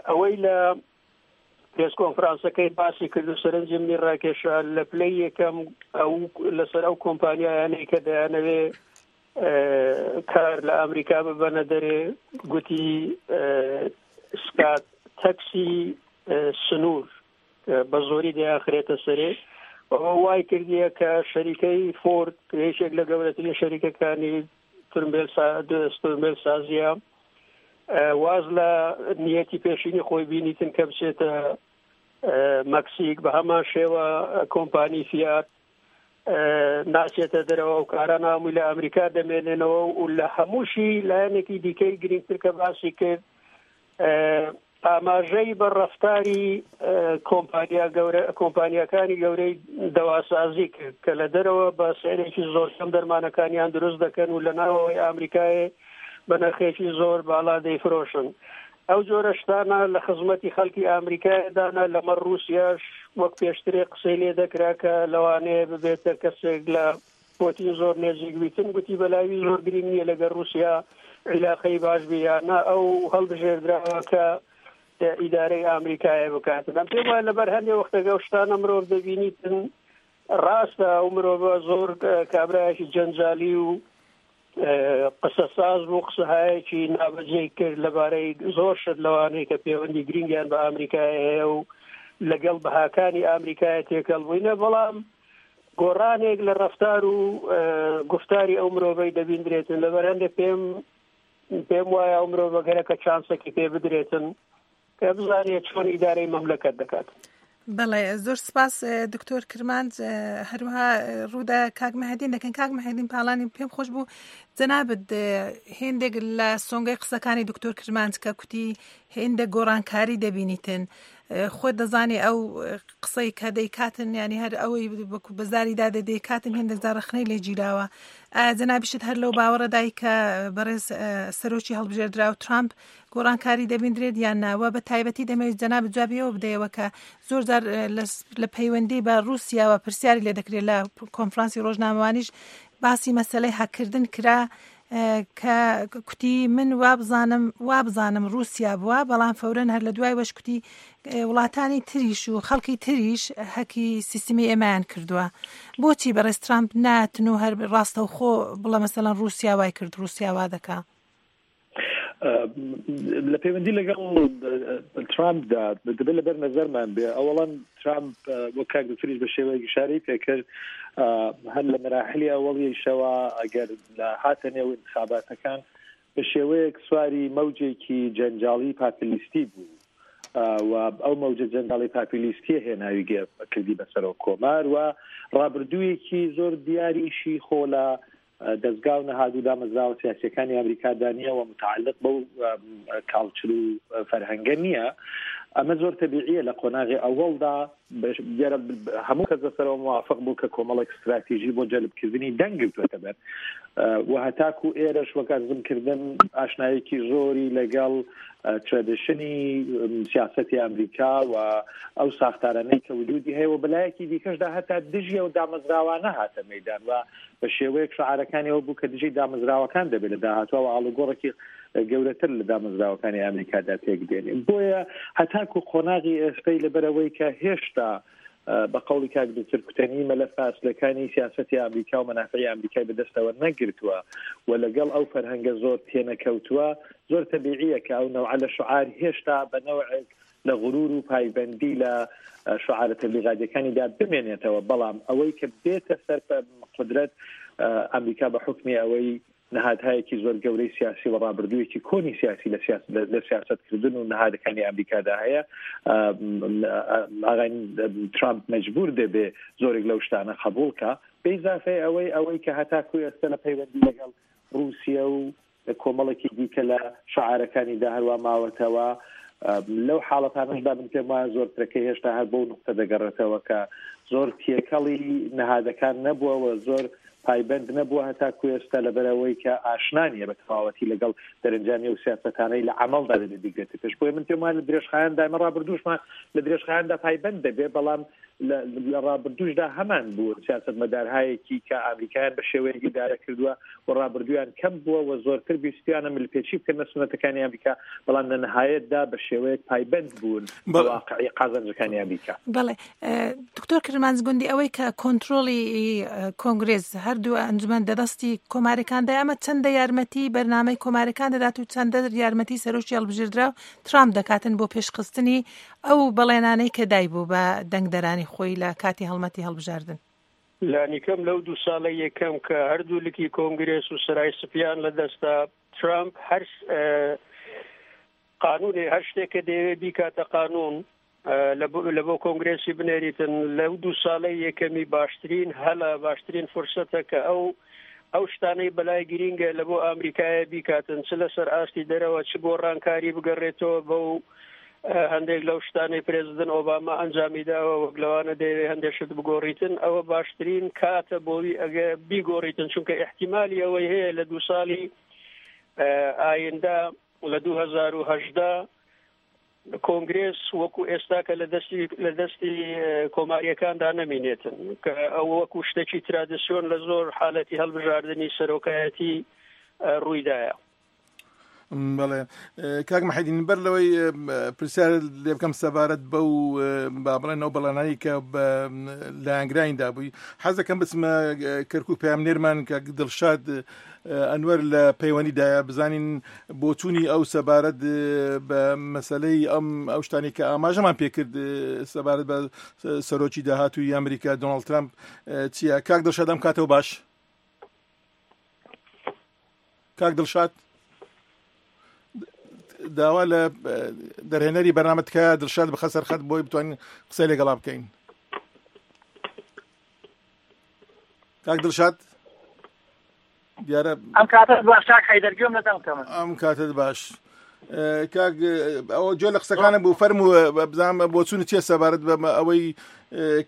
ئەوەی لە پرێس کۆنفرانسەکەی باسی کرد و سەرنجی منی ڕاکێشا لە پلەی یەکەم ئەو لەسەر ئەو کۆمپانیایانەی کە دەیانەوێ کار لە ئەمریکا ببەنە دەرێ، گوتی سکات تەکسی سنوور بە زۆری دەیانخرێتە سەرێ. ئەوە وای کردیە کە شەریکەی فۆرد یەکێک لە گەورەترین شەریکەکانی ترمبێل سازیە واز لە نیەتی پێشینی خۆی بینیتن کە بچێتە مەکسیک، بە هەمان شێوە کۆمپانی فیات ناچێتە دەرەوە و کاران هەمووی لە ئەمریکا دەمێنێنەوە. و لە هەمووشی لایەنێکی دیکەی گرنگتر کە باسی کرد ئاماژەی بە ڕەفتاری کۆمپانیا گەورە کۆمپانیاکانی گەورەی دەواسازی کرد کە لە دەرەوە بە سعرێکی زۆر کەم دەرمانەکانیان دروست دەکەن و لە ناوەوەی ئەمریکای بە نرخێکی زۆر باڵا دەیفرۆشن. ئەو جۆرە شتانە لە خزمەتی خەڵکی ئەمریکایدانە. لەمەڕ ڕووسیاش وەک پێشترێ قسەی لێ دەکرا کە لەوانەیە ببێتە کەسێک لە پوتین زۆر نێزیک بیتن، گوتی بەلاوی زۆر گرنگ نییە لەگەڵ ڕووسیا عیلاقەی باش بێ یا نا، ئەو هەڵبژێردراوە کە ئیدارەی ئەمریکایە بکاتن. ئەم پێم وایە لەبەر هەندێک وەختەکە ئەو شتانە مرۆڤ دەبینیتن ڕاستە ئەو مرۆڤە زۆر کابرایەکی جەنجالی و قسەساز بوو، قسەهایەکی نابەجێی کرد لەبارەی زۆر شت لەوانەیە کە پەیوەندی گرنگیان بە ئەمریکای هەیە و لەگەڵ بەهاکانی ئەمریکای تێکەڵ بووینە، بەڵام گۆڕانێک لە ڕەفتار و گفتاری ئەو مرۆڤەی دەبیندرێتن. لەبەر هەندێک پێم پێم وایە ئەو مرۆڤە گەرەکە چانسێکی پێ بدرێتن کە بزانێت چۆن ئیدارەی مەملەکەت دەکات. بەڵێ زۆر سپاس دکتۆر کرمانج. هەروەها ڕوودا کاک مەهدین دەکەن. کاک مەهدین پاڵانی پێم خۆش بوو جەنابت هێندێک لە سۆنگەی قسەکانی دکتۆر کرمانج کە کوتی هێندێک گۆڕانکاری دەبینیتن، خۆت دەزانی ئەو قسەی کە دەیکاتن، ینی هەر ئەوەی بەزاریدا دەیکاتن هێندێک جار ڕەخنەی لێ گیراوە. ئایا جەنابیشت هەر لەو باوەڕەدای کە بەڕێز سەرۆکی هەڵبژێردراو ترامپ گۆڕانکاری دەبیندرێت یان ناوە؟ بە تایبەتی دەمەوێت جەنابت جوابیەوە بدەیەوە کە زۆر جار لە پەیوەندی بە ڕووسیاوە پرسیاری لێ دەکرێت، لە کۆنفرانسی ڕۆژنامەوانیش باسی مەسەلەی هەککردن کرا کە کوتی من وابزانم وابزانم ڕووسیا بووە، بەڵام فەورەن هەر لە دوای وەش کوتی وڵاتانی تریش و خەڵکی تریش هەکی سیستمی ئێمەیان کردووە. بۆچی بەڕێز ترامپ ناتن و هەر ڕاستەوخۆ بڵێ مەسەلەن ڕووسیا وای کرد، ڕووسیا وا دەکا؟ لە پەیوەندی لەگەڵ ترامپدا دەبێت لەبەر نەزەرمان بێ. ئەوەڵەن ترامپ وەک کاک دکتۆریش بە شێوەیەکی ئیشارەی پێکرد هەر لە مەراحلی ئەوەڵیشەوە ئەگەر لە هاتە نێو ئینتخاباتەکان بە شێوەیەک سواری مەوجێکی جەنجاڵی پاپلیستی بوو و ئەو مەوجە جەنجاڵی پاپلیستیە هێناوی کردی بە سەرۆک کۆمار و ڕابردوویەکی زۆر دیاریشی خۆ لە دەستگا و نەهاد و دامەزراوە سیاسیەکانی ئەمریکادا نییە و متعلق بەو کاڵچر و فەرهەنگە نییە. ئەمە زۆر تەبیعیە لە قۆناغی ئەوەڵدا هەموو کەس لەسەرەوە موافق بوو کە کۆمەڵێک استراتیژی بۆ جەلبکردنی دەنگ گرتووەتە بەر و هەتاکو ئێرەش وەک ئەرزمکردن ئاشنایەکی زۆری لەگەڵ ترادیشنی سیاسەتی ئەمریکا و ئەو ساختارانەی کە وجودی هەیە و بەلایەکی دیکەشدا هەتا دژی ئەو دامەزراوانە هاتە مەیدان و بە شێوەیەک شعارەکانیەوە بوو کە دژی دامەزراوەکان دەبێت لە داهاتووە و ئاڵوگۆڕێکی گەورەتر لە دامەزراوەکانی ئەمریکادا پێک دێنێ. بۆیە هەتاکو قۆناغی ئێستای لەبەرەوەی کە هێشتا بە قەولی کاک دکتۆر کوتەنی مەلەفە ئەسلەکانی سیاسەتی ئەمریکا و مەنافعی ئەمریکای بەدەستەوە نەگرتووە و لەگەڵ ئەو فەرهەنگە زۆر تێنەکەوتووە، زۆر تەبیعیە کە ئەو نەوعە لە شعار هێشتا بە نەوعێک لە غرور و پایبەندی لە شعارە تەبلیغاتیەکانیدا بمێنێتەوە. بەڵام ئەوەی کە بێتە سەر قودرەت ئەمریکا بە حوکمی ئەوەی نەهادهایەکی زۆر گەورەی سیاسی و ڕابردوویەکی کۆنی سیاسی لە سیاسەتکردن و نەهادەکانی ئەمریکادا هەیە، ئاغای ترامپ مەجبور دەبێ زۆرێک لەو شتانە قبوڵ کە بە ئیزافەی ئەوەی ئەوەی کە هەتاکو ئێستا لە پەیوەندی لەگەڵ ڕووسیا و کۆمەڵێکی دیکە لە شعارەکانیدا هەروە ماوەتەوە. لەو حاڵەتانەشدا من پێم وایە زۆرترەکەی هێشتا هەر بەو نقطە دەگەڕێتەوە کە زۆر تێکەڵی نەهادەکان نەبووە و زۆر پایبەند نەبووە هەتاکو ئێستا لەبەرەوەی کە ئاشنا نییە بە تەواوەتی لەگەڵ دەرەنجامی و سیاسەتانەی لە عەمەڵدا دەبێت بیگرێتە پێش. بۆیە من پێم وایە لە درێژخایەندا ئێمە ڕابردووشمان لە درێژخایەندا پایبەند دەبێت، بەڵام لە ڕابردووشدا هەمان بوو سیاسەتمەدارهایەکی کە ئەمریکایان بە شێوەیەک ئیدارە کردووە و ڕابردوویان کەم بووە و زۆرتر بیستیانە ملپێچی بکەن لە سوننەتەکانی ئەمریکا، بەڵام لە نهایەتدا بە شێوەیەک پایبەند بوون بە واقعی قازانجەکانی ئەمریکا. بەڵێ دکتۆر کرمانج گوندی، ئەوەی کە کۆنترۆڵی کۆنگرێس هەردوو ئەنجومەن دەدەستی کۆمارەکاندا، ئەمە چەندە یارمەتی بەرنامەی کۆمارەکان دەدات و چەندە یارمەتی سەرۆکی هەڵبژێردراو ترامپ دەکاتن بۆ پێشخستنی ئەو بەڵێنانەی کە دایبوو بە دەنگدەرانی خۆی لە کاتی هەڵمەتی هەڵبژاردن؟ لانیکەم لەو دوو ساڵە یەکەم کە هەردوو لکی کۆنگرێس و سەرای سپیان لەدەستا، ترامپ هەر قانونێ هەر شتێک کە دەیەوێت بیکاتە قانون لە بۆ کۆنگرێسی بنێریتن، لەو دوو ساڵەی یەکەمی باشترین هەلە، باشترین فرسەتە کە ئەو ئەو شتانەی بەلای گرینگە لە بۆ ئەمریکایە بیکاتن، چ لەسەر ئاستی دەرەوە چ گۆڕانکاری بگەڕێتەوە بەو هەندێک لەو شتانەی پرێزیدنت ئۆباما ئەنجامی داوە، وەک لەوانە دەیەوێت هەندێک شت بگۆڕیتن. ئەوە باشترین کاتە بۆوی ئەگە بیگۆڕیتن، چونکە احتیمالی ئەوەی هەیە لە دوو ساڵی ئایندە لە دوو هەزار و هەژدە کۆنگرێس وەکو ئێستا کە لە دەستی لە دەستی کۆماریەکاندا نەمینێتن، کە ئەو وەکو شتێکی ترادیسیۆن لە زۆر حالەتی هەڵبژاردنی سەرۆکایەتی ڕوویدایە. بەڵێ کاک محەدین، بەر لەوەی پرسیار لێ بکەم سەبارەت بەو با بڵێن ئەو بەڵێنانەی کە بە لایەنگرانیدا بووی، حەز دەکەم بچمە کەرکوو پەیامنێرمان کاک دڵشاد ئەنوەر لە پەیوەندیدایە، بزانین بۆچوونی ئەو سەبارەت بە مەسلەی ئەم ئەو شتانی کە ئاماژەمان پێکرد سەبارەت بە سەرۆکی داهاتووی ئەمریکا دۆناڵد ترامپ چییە. کاک دڵشاد ئەم کاتەوە باش؟ کاک دڵشاد داوا لە دەرهێنەری بەرنامە تکایە دڵشاد بخە سەر خەت بۆی بتوانین قسەی لەگەڵا بکەین. کاک دڵشاد دیارە ئەم کاتت باش کاک حەیدەر، گوێم لە دەنگتەمە. ئەم کاتت باش کاک، ئەوە گوێ لە قسەکانم بوو، فەرموو بزانم بۆچوونت چییە سەبارەت بە ئەوەی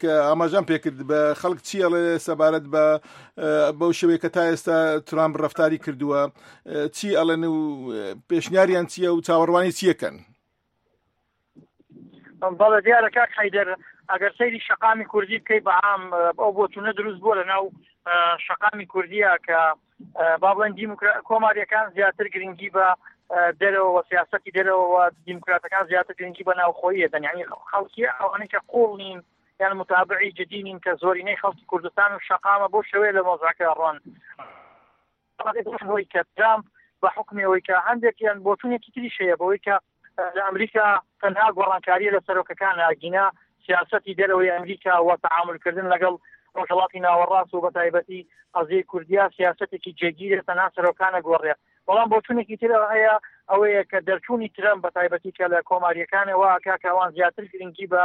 کە ئاماژەم پێکرد بە خەڵک چی ئەڵێ سەبارەت بە بەو شێوەیە کە تا ئێستا ترامپ ڕەفتاری کردووە، چی ئەڵێن و پێشنیاریان چییە و چاوەڕوانی چیەکەن؟ بەڵێ دیارە کاک حەیدەر، ئەگەر سەیری شەقامی کوردی بکەی بە عام ئەو بۆچوونە دروست بووە لە ناو شەقامی کوردیە کە با بڵێن کۆماریەکان زیاتر گرنگی بە دەرەوە و سیاسەتی دەرەوە و دیموکراتەکان زیاتر گرنگی بە ناوخۆیی دەن. یعنی خەڵکی ئەوانەی کە قوڵ نین یان متابعی جدی نین کە زۆرینەی خەڵکی کوردستان و شەقامە بۆ شێوەیە لە مۆزعەکە ڕۆن. ئەوەی کە ترامپ بە حکمی ئەوەی کە هەندێکیان بۆچوونێکی تریش هەیە بەوەی کە لە ئەمریکا تەنها گۆڕانکاریە لە سەرۆکەکان ئاگینا سیاسەتی دەرەوەی ئەمریکا و تەعاملکردن لەگەڵ ڕۆژهەڵاتی ناوەڕاست و بەتایبەتی قەزیەی کوردیا سیاسەتێکی جێگیرە، تەنها سەرۆکانە گۆڕێ. بەڵام بۆچوونێکی تر هەیە ئەوەیە کە دەرچوونی ترەمپ بەتایبەتی کە لە کۆماریەکانەوە کاکەوان زیاتر گرنگی بە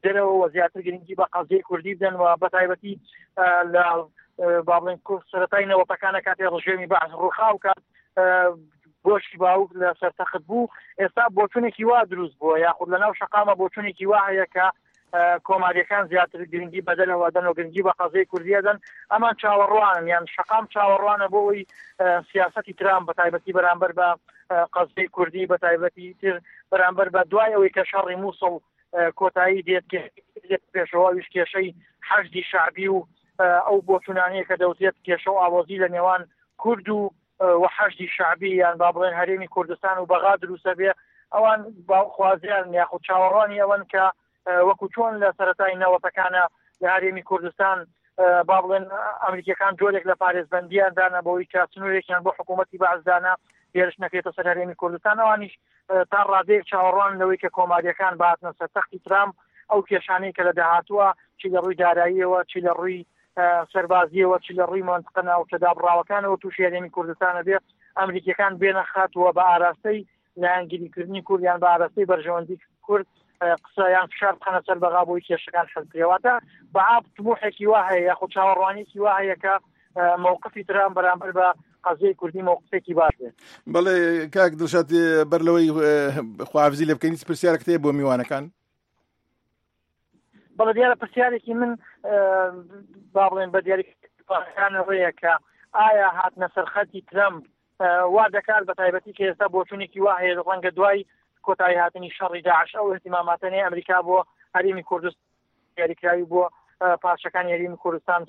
دەرەوە و زیاتر گرنگی بە قەزیەی کوردی بدەن و بەتایبەتی لە با بڵێن سەرەتای نەوەتەکانە کاتێ ڕژێمی بەعس ڕووخا و کات بۆشی باوک لە سەرتەخت بوو، ئێستا بۆچوونێکی وا دروست بووە یاخود لە ناو شەقامە بۆچوونێکی وا هەیە کە کۆماریەکان زیاتر گرنگی بە دەرەوە دەن و گرنگی بە قەزیەی کوردیە دەن. ئەمان چاوەڕوانن یان شەقام چاوەڕوانە بۆ ئەوەی سیاسەتی ترامپ بەتایبەتی بەرامبەر بە قەزیەی کوردی بەتایبەتی تر بەرامبەر بە دوای ئەوەی کە شەڕی مووسڵ کۆتایی دێت پێشەوە ئەویش کێشەی حەشدی شەعبی و ئەو بۆچوونانەیە کە دەوترێت کێشە و ئاوازی لە نێوان کورد و و حەشدی شەعبی یان با بڵێن هەرێمی کوردستان و بەغا دروستە بێ. ئەوان خوازیان یاخود چاوەڕوانی ئەوەن کە وەکو چۆن لە سەرەتای نەوەتەکانە لە هەرێمی کوردستان با بڵێن ئەمریکیەکان جۆرێک لە پارێزبەندیان دانا بۆی کە سنوورێکیان بۆ حکوومەتی بەعس دانا هێرش نەکرێتە سەر هەرێمی کوردستان. ئەوانیش تا ڕادەیەک چاوەڕوان لەوەی کە کۆماریەکان بهاتنە سەر تەختی ترامپ ئەو کێشانەی کە لە داهاتووە چی لە ڕووی داراییەوە چی لە ڕووی سەربازیەوە چی لە ڕووی مەنتقە ناوچە دابڕاوەکانەوە تووشی هەرێمی کوردستانە بێ ئەمریکیەکان بێنە خاتووە بە ئاراستەی لایەنگیریکردنی کورد یان بە ئاراستەی بەرژەوەندی کورد قسە یان فشار بخەنە سەر بەغا بۆی کێشەکان حل بکرێ. بەعاب طموحێکی وا هەیە یاخود چاوەڕوانیەکی وا هەیە کە مووقفی ترامپ بەرامبەر بە قەزیەی کوردی مووقفێکی باش بێت. بەڵێ کاک دڵشاد، بەر لەوەی خواحافیزی لێ بکەین پرسیارێکت هەیە بۆ میوانەکان؟ بەڵێ دیارە پرسیارێکی من با بڵێن بە دیاریکردنەوەیە کە ئایا هاتنە سەرخەتی ترەمپ وا دەکات بە تایبەتی کە ئێستا بۆچوونێکی وا هەیە ڕەنگە دوای کۆتایی هاتنی شەڕی داعش ئەو اهتماماتەنەی ئەمریکا بۆ هەرێمی کوردستان دیاریکراوی بۆ پارچەکانی هەرێمی کوردستان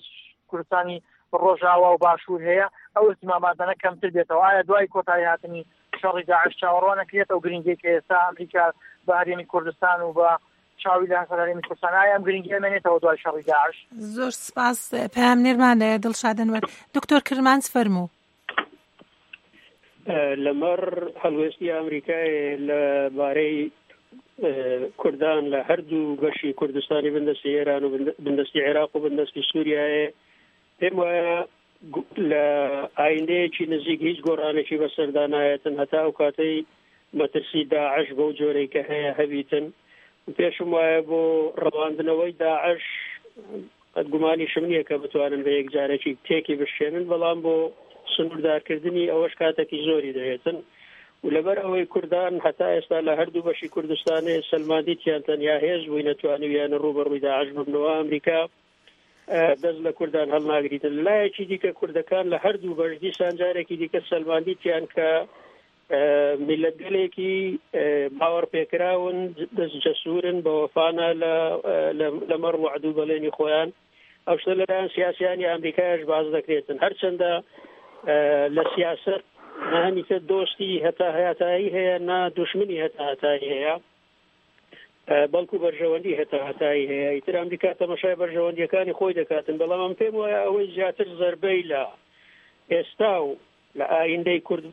کوردستانی ڕۆژاوا و باشوور هەیە ئەو اهتماماتانە کەمتر بێتەوە. ئایا دوای کۆتایی هاتنی شەڕی داعش چاوەڕوان نەکرێت ئەو گرنگی کە ئێستا ئەمریکا بە هەرێمی کوردستان و بە چاوی لە هەرێمی کوردستان ئایا ئەم گرنگیە مێنێتەوە دوای شەڕی داعش؟ زۆر سپاس پەیامنێرمان دڵشاد ئەنوەر. دکتۆر کرمانج فەرموو. لەمەڕ هەڵوێستی ئەمریکای لەبارەی کوردان لە هەردوو بەشی کوردستانی بندەستی ئێران و بندەستی عێراق و بندەستی سووریایە، پێم وایە لە ئایندەیەکی نزیک هیچ گۆڕانێکی بەسەردا نایەتن هەتا ئەو کاتەی مەترسی داعش بەو جۆرەی کە هەیە هەبیتن. پێشم وایە بۆ ڕەواندنەوەی داعش قەت گومانیشم نییە کە بتوانن بە یەکجارێکی تێکی بشێنن، بەڵام بۆ سنووردارکردنی ئەوەش کاتێکی زۆری دەوێتن. و لەبەر ئەوەی کوردان هەتا ئێستا لە هەردوو بەشی کوردستانێ سەلماندیتیان تەنیا هێز بووی نەتوانیویانە ڕووبەڕووی داعش ببنەوە، ئەمریکا دەست لە کوردان هەڵناگریتن. لایەکی دیکە کوردەکان لە هەردوو بەش دیسان جارێکی دیکە سەلماندیتیان کە میللەتگەلێکی باوەڕپێکراون، دەست جەسوورن، بە وەفانە لەمەڕ وەعد و بەڵێنی خۆیان. ئەو شتە لەلایەن سیاسیانی ئەمریکایش باز دەکرێتن. هەرچەندە لە سیاسەت نە هەمیشە دۆستی هەتا هەتایی هەیە، نە دوشمنی هەتا هەتایی هەیە، بەڵکو بەرژەوەندی هەتا هەتایی هەیە. ئیتر ئەمریکا تەمەشای بەرژەوەندیەکانی خۆی دەکاتن. بەڵام ئەم پێم وایە ئەوەی زیاتر زەربەی لە ئێستا و لە ئایندەی کورد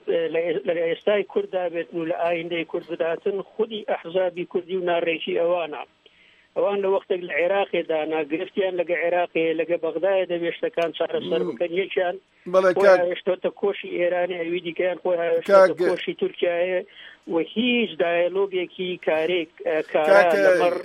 لە ئێستای کورددا بێتن و لە ئایندەی کورد بداتن خودی ئەحزابی کوردی و ناڕێکی ئەوانە. ئەوان لە وەختێک لە عێراقێدا ناگرفتیان لەگە عێراقێ لەگە بەغدایە دەبێت شتەکان چارەسەر بکەن. یەکیان خۆی هاوێشتۆتە کۆشی ئێرانی، ئەوی دیکەیان خۆی هاوێشتۆتە کۆشی تورکیایە و هیچ دایەلۆگێکی کارێک کارا لەمەڕ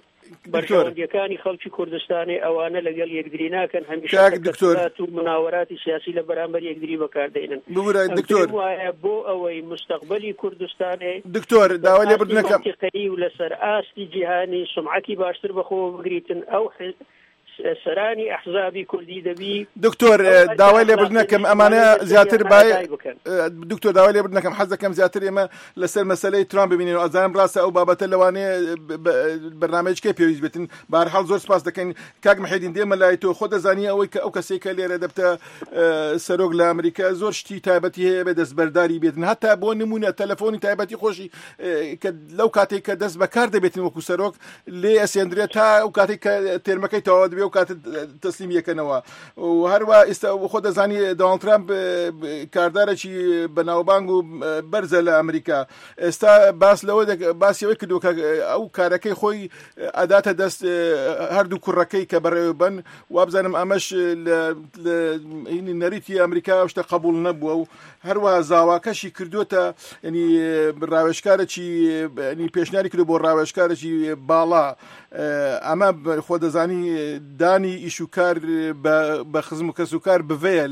بەرژەوەندیەکانی خەڵکی کوردستانی ئەوانە لەگەڵ یەکدری ناکەن. هەمیشە تەکەتولات و مناوەراتی سیاسی لە بەرامبەر یەکدری بەکاردێنن. ببورە دکتۆر، وایە بۆ ئەوەی مستەقبلی کوردستانێ دکتۆر داوای لێبوردن دەکەم منطقەیی و لەسەر ئاستی جیهانی سمعەتی باشتر بەخۆوە بگریتن، ئەو سەرانی ئەحزابی کوردی دەبی. دکتۆر داوای لێبوردن دەکەم، ئەمانە زیاتر بای دکتۆر داوای لێبوردن دەکەم، حەز دەکەم زیاتر ئێمە لەسەر مەسەلەی ترامپ ببینین. ئەزانم ڕاستە ئەو بابەتە لەوانەیە بەرنامەیەکەی پێویست بێتن. بەهەرحاڵ زۆر سپاس دەکەین کاک محێدین. دێمە لای تۆ، خۆ دەزانی ئەوەی کە ئەو کەسێک کە لێرە دەبتە سەرۆک لە ئەمریکا زۆر شتی تایبەتی هەیە بێ دەستبەرداری بێتن، هەتا بۆ نمونە تەلەفۆنی تایبەتی خۆشی کە لەو کاتێک کە دەست بەکار دەبێتن وەکو سەرۆک لێ ئەسێندرێت تا ئەو کاتێک کە تێرمەکەی تەواو دەبێت و کات تەسلیم یەکەنەوە. و هەروە ئێستا خۆ دەزانی دۆناڵد ترامپ کاردارێکی بەناوبانگ و بەرزە لە ئەمریکا. ئێستا باس لەوە باسی ئەوەی کردووە کە ئەو کارەکەی خۆی ئەداتە دەست هەردوو کوڕەکەی کە بەڕێوە بن. وابزانم ئەمەش لە نەریتی ئەمریکا ئەو شتە قبول نەبووە و هەروەها زاواکەشی کردووەتە ینی ڕاوێژکارێکی ینی پێشنیاری کردو بۆ ڕاوێژکارێکی باڵا. ئەمە خۆ دەزانی دانی ئیش و کار بە خزم و کەس و کار بڤەیە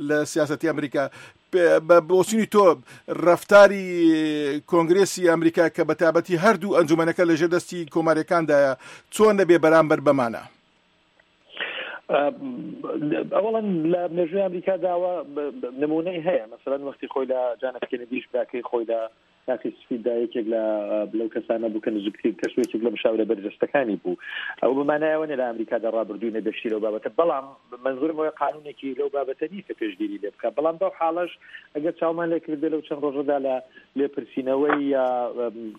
لە سیاسەتی ئەمریکا. بە بۆچینی تۆ ڕەفتاری کۆنگرێسی ئەمریکا کە بە تایبەتی هەردوو ئەنجومەنەکە لەژێر دەستی کۆماریەکاندایە چۆن دەبێ بەرامبەر بەمانە؟ ئەوەڵەن لە مێژووی ئەمریکا داوە نمونەی هەیە. مەسەلەن وەختی خۆی لە جان ئێف کێنێدیش براکەی خۆی لە کاخی سفیددا یەکێک لە لەو کەسانە بوو کە نزیکترین کەس و یەکێک لە مشاورە بەرجەستەکانی بوو. ئەو بەمانایەوە نیە لە ئەمریکادا ڕابردووی نەبێشتی لەو بابەتە، بەڵام منزورم ئەوەیە قانونێکی لەو بابەتە نییە کە پێشگیری لێ بکات. بەڵام بەو حاڵەش ئەگەر چاومان لێ کردبێ لەو چەند ڕۆژەدا لە لێپرسینەوەی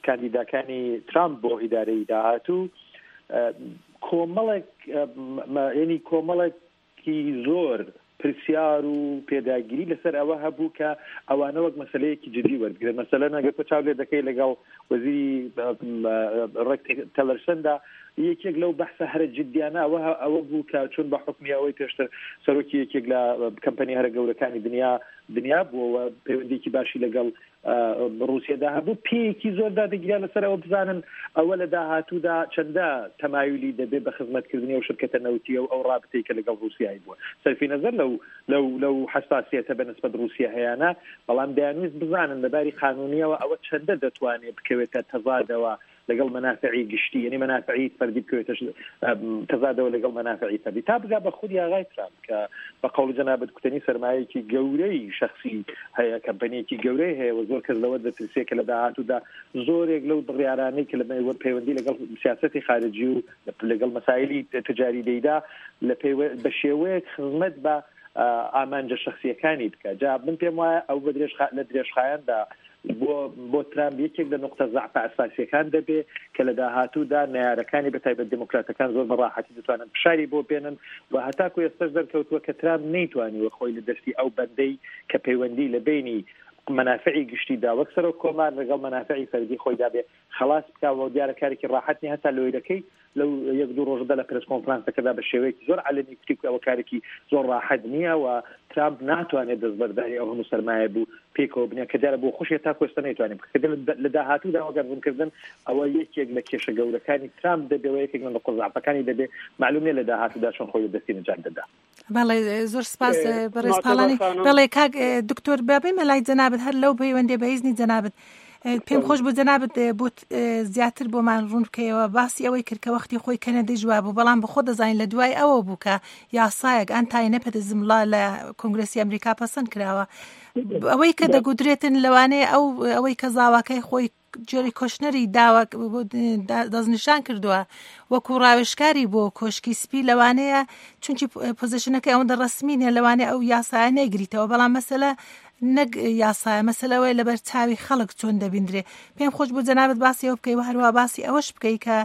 کاندیداکانی ترامپ بۆ ئیدارەی داهاتوو کۆمەڵێک یعنی کۆمەڵێکی زۆر پرسیار و پێداگیری لەسەر ئەوە هەبوو کە ئەوانە وەک مەسلەیەکی جدی وەربگرن. مەسەلەن ئەگەر تۆ چاو لێ دەکەی لەگەڵ وەزیری ڕێک تەلەرسندا یەکێک لەو بەحسە هەرە جدیانە ئەوە ئەوە بوو کە چون بە حکمی ئەوەی پێشتر سەرۆکی یەکێک لە کەمپەنی هەرە گەورەکانی دنیا دنیا بووەوە پەیوەندیکی باشی لەگەڵ ڕووسیەدا هەبوو، پێیەکی زۆر دادەگیرا لەسەر ئەوە بزانن ئەوە لە داهاتوودا چەندە تەمایلی دەبێت بە خزمەتکردنی ئەو شرکەتە نەوتیە و ئەو ڕابطەی کە لەگەڵ ڕووسیایی بووە. سەرفی نەزەر لەو لەو لەو حەساسیەتە بە نسبەت ڕووسیا هەیانە، بەڵام دەیانویست بزانن لەباری قانونیەوە ئەوە چەندە دەتوانێت بکەوێتە تەزادەوە لەگەڵ مەنافعی گشتی، یعنی مەنافعی فەردی بکەوێتە تەزادەوە لەگەڵ مەنافعی فەردی تا بگا بە خودی ئاغای ترامپ کە بە قەولی جەنابت کوتەنی سەرمایەکی گەورەی شەخسی هەیە، کەمپەنیەکی گەورەی هەیە و زۆر کەس لەوە دەترسێ کە لە داهاتوودا زۆرێک لەو بڕیارانەی کە لە پەیوەندی لەگەڵ سیاسەتی خارجی و لەگەڵ مەسایلی تجاری دەیدا لە بە شێوەیەک خزمەت بە ئامانجە شەخسیەکانی بکە. جا من پێم وایە ئەو لە درێژخایەندا بۆ بۆ ترامپ یەکێک لە نقطە زەعفە ئەساسیەکان دەبێ کە لە داهاتوودا نەیارەکانی بە تایبەت دێموکراتەکان زۆر بە ڕاحەتی دەتوانن فشاری بۆ بێنن و هەتاکو ئێستاش دەرکەوتووە کە ترامپ نەیتوانیوە خۆی لە دەستی ئەو بەندەی کە پەیوەندی لە بینی مەنافعی گشتیدا وەک سەرۆک کۆمار لەگەڵ مەنافعی فەردی خۆیدا بێ خلاص بکا و دیارە کارێکی ڕاحەت نیە. هەتا لۆیرەکەی لەو یەک دوو ڕۆژەدا لە پرێس کۆنفرانسەکەدا بە شێوەیەکی زۆر عەلەنی کوتی کە ئەوە کارێکی زۆر ڕاحەت نییە و ترامپ ناتوانێت دەستبەرداری ئەو هەموو سەرمایە بوو پێکەوە بنێ کە دیارە بۆ خۆشی تا کۆستا نەیتوانێت بکە. لە داهاتوودا وەگەر ڕوونکردن ئەوە یەکێک لە کێشە گەورەکانی ترامپ دەبێ و یەکێک لە نقطە زەعفەکانی دەبێ. معلوم نییە لە داهاتوودا چۆن خۆی لە دەستی نەجات دەدا. بەڵێ زۆر سپاس بەڕێز پاڵانی. بەڵێ کاک دکتۆر بابێمە لای جەنابت، هەر لەو پەیوەندی بەئیزنی جەنابت پێم خۆش بوو جەنابت بۆت زیاتر بۆمان ڕوون بکەیەوە. باسی ئەوەی کرد کە وەختی خۆی کەنەدی جواب بوو، بەڵام بەخۆ دەزانین لە دوای ئەوە بوو کە یاسایەک anti-nepotism law لە کۆنگرێسی ئەمریکا پەسەند کراوە. ئەوەی کە دەگوترێتن لەوانەیە ئەو ئەوەی کە زاواکەی خۆی جێری کۆشنەری داوە دەستنیشان کردووە وەکو ڕاوێژکاری بۆ کۆشکی سپی، لەوانەیە چونکی پۆزیشنەکەی ئەوەندە ڕەسمی نییە، لەوانەیە ئەو یاسایە نەیگریتەوە. بەڵام مەسەلە نەک یاسایە، مەسەلە ئەوەیە لەبەر چاوی خەڵک چۆن دەبیندرێ. پێم خۆش بوو جەنابت باسی ئەوە بکەی و هەروەها باسی ئەوەش بکەی کە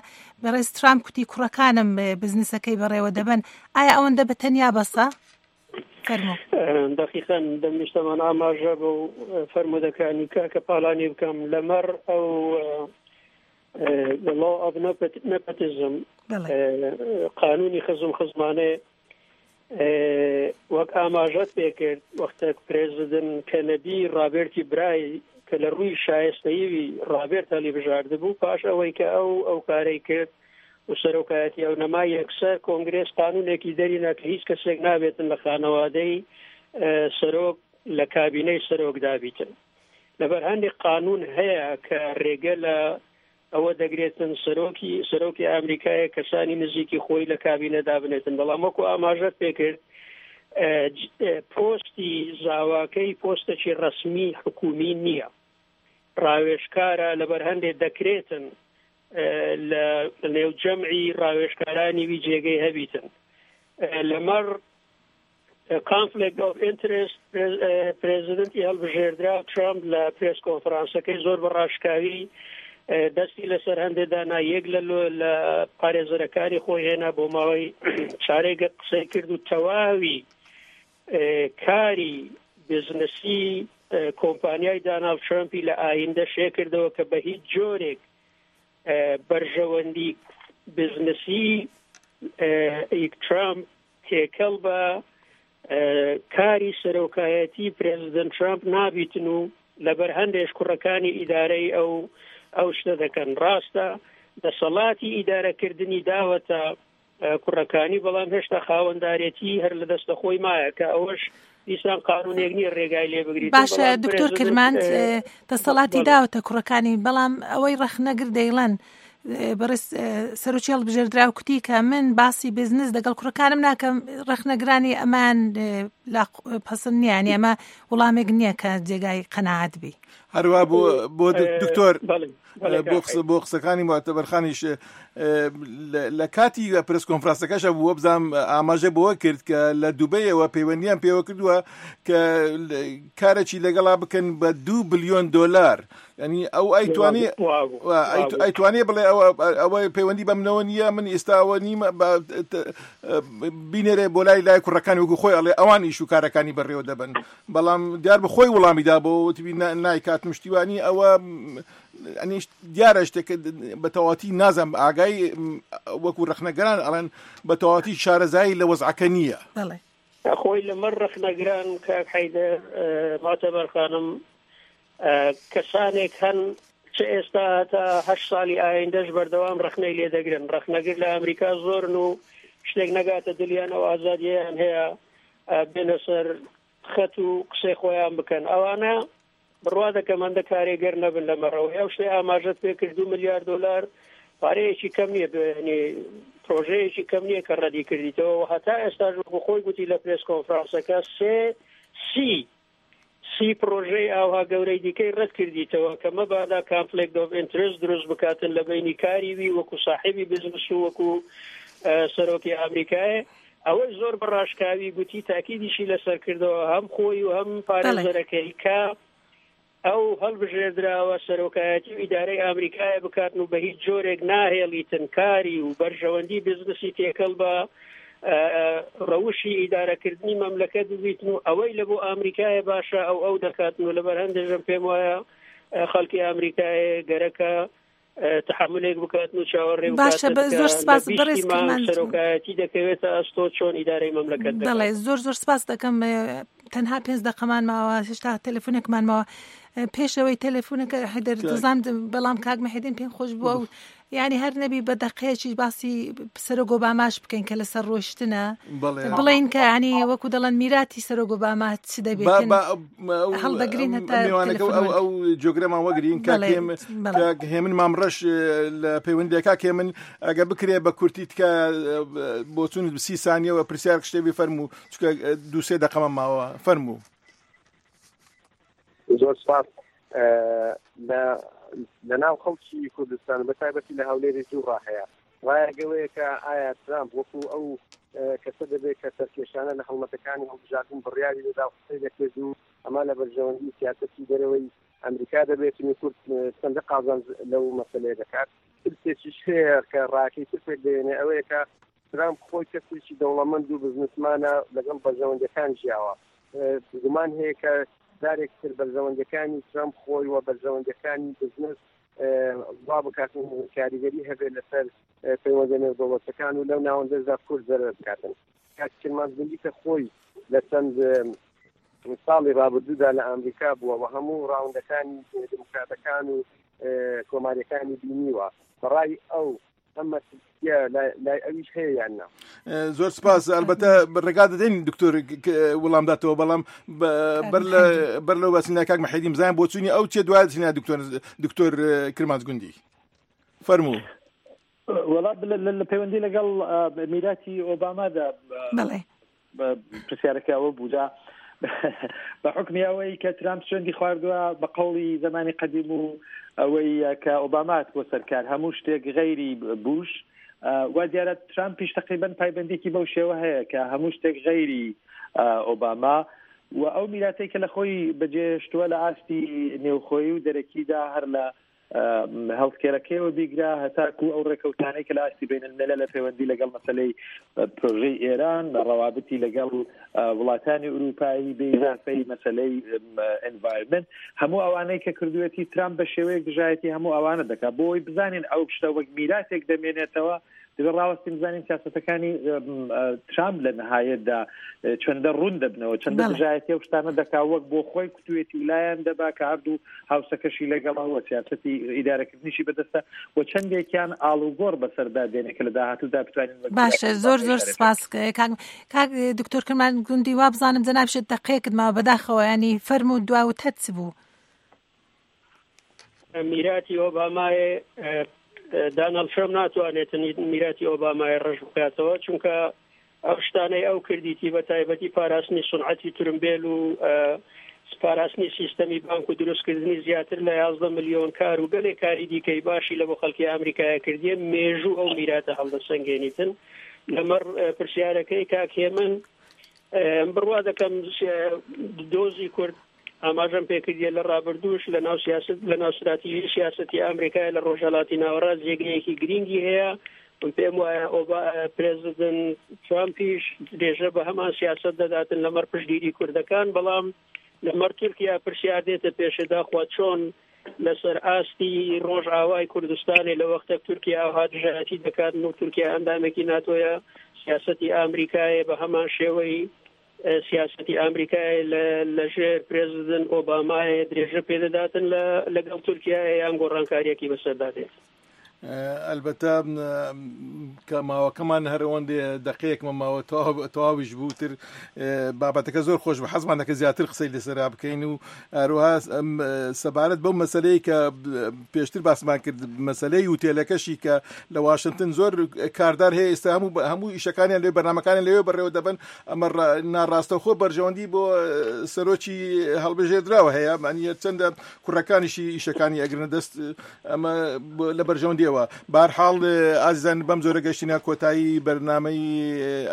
بەڕێز ترامپ کوتی کوڕەکانم بزنسەکەی بەڕێوە دەبەن، ئایا ئەوەندە بە تەنیا بەسە؟ فەرموو. دقیقاً دەمویستەمان ئاماژە بۆ فەرموودەکانی کاکە پاڵانی بکەم لەمەڕ ئەو the law of nepotism، قانونی خزم خزمانێ، وەک ئاماژەت پێکرد وەختێک پرێزیدنت کەنەدی ڕابێرتی برای کە لە ڕووی شایستەیی ڕابێرت هەڵی بژاردبوو، پاش ئەوەی کە ئەو ئەو کارەی کرد و سەرۆکایەتی ئەو نەما، یەکسەر کۆنگرێس قانونێکی دەرینا کە هیچ کەسێک نابێتن لە خانەوادەی سەرۆک لە کابینەی سەرۆک دابیتن. لەبەر هەندێک قانون هەیە کە ڕێگە لە ئەوە دەگرێتن سەرۆکی سەرۆکی ئەمریکایە کەسانی نزیکی خۆی لە کابینە دابنێتن. بەڵام وەکو ئاماژەت پێکرد پۆستی زاواکەی پۆستێکی ڕەسمی حکومی نییە، ڕاوێژکارە، لەبەر هەندێک دەکرێتن لە نێو جەمعی ڕاوێژکارانی وی جێگەی هەبیتن. لەمەڕ conflict of interest پرێزیدنتی هەڵبژێردرا ترامپ لە پرێس کۆنفرانسەکەی زۆر بە ڕاشکاوی دەستی لەسەر هەندێک دانا، یەک لە لە پارێزەرەکانی خۆی هێنا بۆ ماوەی چارێکە قسەی کرد و تەواوی کاری بزنسی کۆمپانیای داناڵد ترامپی لە ئایندە شێ کردەوە کە بە هیچ جۆرێک بەرژەوەندی بزنسی ترامپ تێکەڵ بە کاری سەرۆکایەتی پرێزیدنت ترامپ نابیتن و لەبەر هەندێک کوڕەکانی ئیدارەی ئەو ئەو شتە دەکەن. ڕاستە دەسەڵاتی ئیدارەکردنی داوەتە کوڕەکانی، بەڵام هێشتا خاوەندارێتی هەر لە دەستە خۆی مایە کە ئەوەش دیسان قانونێک نییە ڕێگای لێ بگریت. باشە دکتۆر کرماند، دەسەڵاتی داوەتە کوڕەکانی، بەڵام ئەوەی ڕەخنەگر دەیڵەن بەڕێز سەرۆکی هەڵبژێردراو کوتی کە من باسی بزنس دەگەڵ کوڕەکانم ناکەم، ڕەخنەگرانی ئەمان پەسەند نییە، یانی ئەمە وڵامێک نییە کە جێگای قەناعەت بی. هەروە بۆ بۆ دکتۆر بۆ قسەکانی معتەبەرخانیش لە کاتی پرس کۆنفرانسەکەشە بووە بزانم ئاماژە بەوە کرد کە لە دوبەیەوە پەیوەندیان پێوە کردووە کە کارێکی لەگەڵا بکەن بە دوو بلیۆن دۆلار. یعنی ئەو ئەیتوانی ئەیتوانێ بڵێ ئەوە پەیوەندی بە منەوە نییە، من ئێستاوە نیمە بینێرێ بۆ لای لای کوڕەکانی وەکو خۆی ئەڵێ ئەوان ئیش و کارەکانی بەڕێوە دەبن، بەڵام دیار بە خۆی وەڵامی دا بۆ وتبی نایکات مشتیوانی. ئەوە ئەنی دیارە شتێک بە تەواتی نازم ئاگای وەکو ڕەخنەگران ئەڵێن بە تەواتی شارەزایی لە وەزعەکە نییە. خۆی لەمەڕ ڕەخنەگران کاک حەیدەر معتەبەر خانم، کەسانێک هەن چ ئێستا تا هەشت ساڵی ئایندەش بەردەوام ڕەخنەی لێدەگرن. ڕەخنەگر لە ئەمریکا زۆرن و شتێک نەگاتە دلیان ئەو ئازادییان هەیە بێنە سەر خەت و قسەی خۆیان بکەن. ئەوانە بڕوا دەکەم هەندە کارێگەر نەبن لە مەڕەوەی. ئەو شتەی ئاماژەت پێکرد دوو ملیار دۆلار پارەیەکی کەم نییە، پرۆژەیەکی کەم نییە کە ڕەدی کردیتەوە. و هەتا ئێستاش وەکو خۆی گوتی لە پرێس کۆنفرانسەکە سێ سی سی پرۆژەی ئاوها گەورەی دیکەی ڕەت کردیتەوە کە مەبادا conflict of interest دروست بکاتن لە بەینی کاری وی وەکو ساحێبی بزنس و وەکو سەرۆکی ئەمریکایە. ئەوەی زۆر بەڕاشکاوی گوتی تاکیدیشی لەسەر کردەوە هەم خۆی و هەم پارێزەرەکەی کە ئەو هەڵبژێردراوە سەرۆکایەتی و ئیدارەی ئەمریکایە بکاتن و بە هیچ جۆرێک ناهێڵیتن کاری و بەرژەوەندی بزنسی تێکەڵ بە ڕەوشی ئیدارەکردنی مەملەکەت ببیتن و ئەوەی لە بۆ ئەمریکایە باشە ئەو ئەو دەکاتن. و لەبەر هەندێژم پێم وایە خەڵکی ئەمریکایە گەرەکە تحملێک بکاتن و چاوەڕێ باشە. زۆر سپاس بەڕێز کرماند. سەرۆکایەتی دەکەوێتە ئەستۆ چۆن ئیدارەی مەملەکەت دەکات. بەڵێ زۆر زۆر سپاس دەکەم. تەنها پێنج دەقەمان ماوە، هێشتا تەلەفۆنێکمان ماوە. پێشەوەی تەلەفۆنەکە حەیدەر دەزانم، بەڵام کاک مەحیدین پێم خۆش بووە و یعنی هەر نەبی بە دەقەیەکیش باسی سەرۆک ئۆباماش بکەین کە لەسەر ڕۆیشتنە، بڵێین کە یعنی وەکو دەڵێن میراتی سەرۆک ئۆباما چ دەبێتن هەڵدەگرین هەتا ئەو ئەو جۆگرەمان وەگرین. کاک هێمن مامڕەش لە پەیوەندیەکە هێمن ئەگە بکرێ بە کورتی تکە بۆچوون سی سانیەوە پرسیار شتێ بفەرموو، چونکە دوو سێ دەقەمان ماوە. فەرموو. زۆر سپاس. لە ناو خەڵکی کوردستان بە تایبەتی لە هەولێری دوو ڕا هەیە. ڕایەگەوەیە کە ئایا ترامپ وەکو ئەو کەسە دەبێت کە سەرکێشانە لە هەڵمەتەکانی هەڵبژاردن بڕیاری دەدا و قسەی دەکرد و ئەمە لە بەرژەوەندی سیاسەتی دەرەوەی ئەمریکا دەبێت و کورد چەندە قازانج لەو مەسەلەیە دەکات. ترسێکیش هەیە کە ڕاکەی تر پێک دێنێ، ئەوەیە کە ترامپ خۆی کەسێکی دەوڵەمەند و بزنسمانە لەگەڵ بەرژەوەندەکان ژیاوە. گومان هەیە کە جارێک تر بەرژەوەندەکانی ترامپ خۆی و بەرژەوەندەکانی بزنس وا بکات و کاریگەری هەبێت لەسەر پەیوەندە نێودەوڵەتەکان و لەو ناوەندەشدا کورد زەرەر بکاتن. کاک کرمانج گوندی کە خۆی لە چەند ساڵی ڕابردوودا لە ئەمریکا بووە و هەموو ڕاوندەکانی دموکراتەکان و کۆماریەکانی بینیوە، بەڕای ئەو ئەم مەترسیە لای ئەویش هەیە یان نا؟ زۆر سپاس. ئەلبەتە ڕێگا دەدەین دکتۆر وەڵامداتەوە، بەڵام بەر لەو باسین لای کاک مەحیدین بزانین بۆچوونی ئەو چیە، دوای دەچینە دکتۆر دکتۆر کرمانج گوندی. فەرموو. وەڵا لە پەیوەندی لەگەڵ میراتی ئۆبامادا بەڵێ پرسیارەکە ئەوە بوودا بە حکمی ئەوەی کە ترامپ سوێندی خواردووە بە قەوڵی زمانی قەدیم و ئەوەی کە ئۆبامات بۆ سەرکار هەموو شتێک غەیری بوش، وا دیارە ترامپیش تقریبا پایبەندێکی بەو شێوە هەیە کە هەموو شتێک غەیری ئۆباما و ئەو میراتەی کە لە خۆی بەجێهێشتووە لە ئاستی نێوخۆیی و دەرەکیدا هەر لە هەڵسکێرەکەیەوە بیگرا هەتاکو ئەو ڕێکەوتانەی کە لە ئاستی بینالملل لە پەیوەندی لەگەڵ مەسەلەی پرۆژەی ئێران، ڕەوابطی لەگەڵ وڵاتانی ئەوروپایی بێ ئیزافەی مەسەلەی ئینڤایرمنت، هەموو ئەوانەی کە کردوێتی ترامپ بە شێوەیەک دژایەتی هەموو ئەوانە دەکات. بۆ ئەوەی بزانین ئەو شتە وەک میراتێک دەمێنێتەوە، دەبێت ڕاوەستین بزانین سیاسەتەکانی ترامپ لە نهایەتدا چەندە ڕوون دەبنەوە، چەندە دژایەتی ئەو شتانە دەکا وەک بۆ خۆی کوتوێتی و لایەن دەبا کە هەردوو هاوسەکەشی لەگەڵەوە سیاسەتی ئیدارەکردنیشی بەدەستە و چەندێکیان ئاڵوگۆڕ بەسەردا دێنێ کە لە داهاتوودا بتوانین. باشە، زۆر زۆر سپاس کاک دکتۆر کرمانج گوندی. وا بزانم جەنابشت دەقەیەکت ماوە، بەداخەوە ینی فەرموو دواوتەت چ بوو؟ میراتی ئۆبامای دانالد ترامپ ناتوانێت میراتی ئۆبامای ڕەش بکاتەوە، چونکە ئەو شتانەی ئەو کردیتی بە تایبەتی پاراستنی سونعەتی ترمبێل و پاراستنی سیستەمی بانک و دروستکردنی زیاتر لە یازدە ملیۆن کار و گەلێک کاری دیکەی باشی لە بۆ خەڵکی ئەمریکایە کردیە، مێژوو ئەو میراتە هەڵدەسەنگێنیتن. لەمەڕ پرسیارەکەی کاک هێمن بڕوا دەکەم دۆزی کورد ئاماژەم پێکردیە لە ڕابردووش لە ناو سیاست لە ناو ستراتیژی سیاسەتی ئەمریکای لە ڕۆژهەڵاتی ناوەڕاست جێگەیەکی گرینگی هەیە. من پێم وایە ئۆبا پرێزیدنت ترامپیش درێژە بە هەمان سیاست دەداتن لەمەڕ پشتگیری کوردەکان، بەڵام لەمەڕ تورکیا پرسیار دێتە پێشێدا خوا چۆن لەسەر ئاستی ڕۆژئاوای کوردستانی لە وەختێک تورکیا ئاوها دژایەتی دەکات و تورکیا ئەندامێکی ناتۆیە، سیاسەتی ئەمریکایە بە هەمان شێوەی سیاسەتی ئەمریکای لەژێر پرێزیدنت ئۆبامای درێژە پێدەداتن لەگەڵ تورکیا یان گۆڕانکاریەکی بەسەردا دێت. ئەلبەتە کە ماوەکەمان هەرەوەندێ دقەیەکمە ماوە تەواویش بووتر بابەتەکە زۆر خۆش بە حەزمان دەکە زیاتر قسەی لەسەرا بکەین و هەروەها سەبارەت بەو مەسلەی کە پێشتر باسمان کرد، مەسلەی هوتێلەکەشی کە لە واشنگتن زۆر کاردار هەیە ئێستا هەموو هەموو ئیشەکانیان لێ بەرنامەکانیان لەوێ بەڕێوە دەبن، ئەمە ناڕاستەوخۆ بەرژەوەندی بۆ سەرۆکی هەڵبژێردراوە هەیە، معنی چەندە کوڕەکانیشی ئیشەکانی ئەگرنە دەست، ئەمە لە بەرژەوەندیەوە. بارحاڵ ئازیزان بەم زۆرە گەشتینە کۆتایی بەرنامەی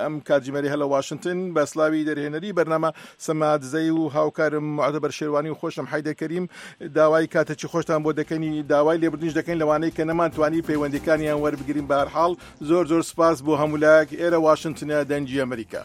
ئەم کاتژمێری هەلە واشنگتن. بە سلاوی دەرهێنەری بەرنامە سەما دزەی و هاوکارم معتەبەر شێروانی و خۆشم حەیدەر کەریم داوای کاتێکی خۆشتان بۆ دەکەنی، داوای لێبوردنیش دەکەین لەوانەی کە نەمانتوانی پەیوەندیەکانیان وەربگرین. بەهەرحاڵ زۆر زۆر سپاس بۆ هەموو لایەک. ئێرە واشنگتنە، دەنگی ئەمریکا.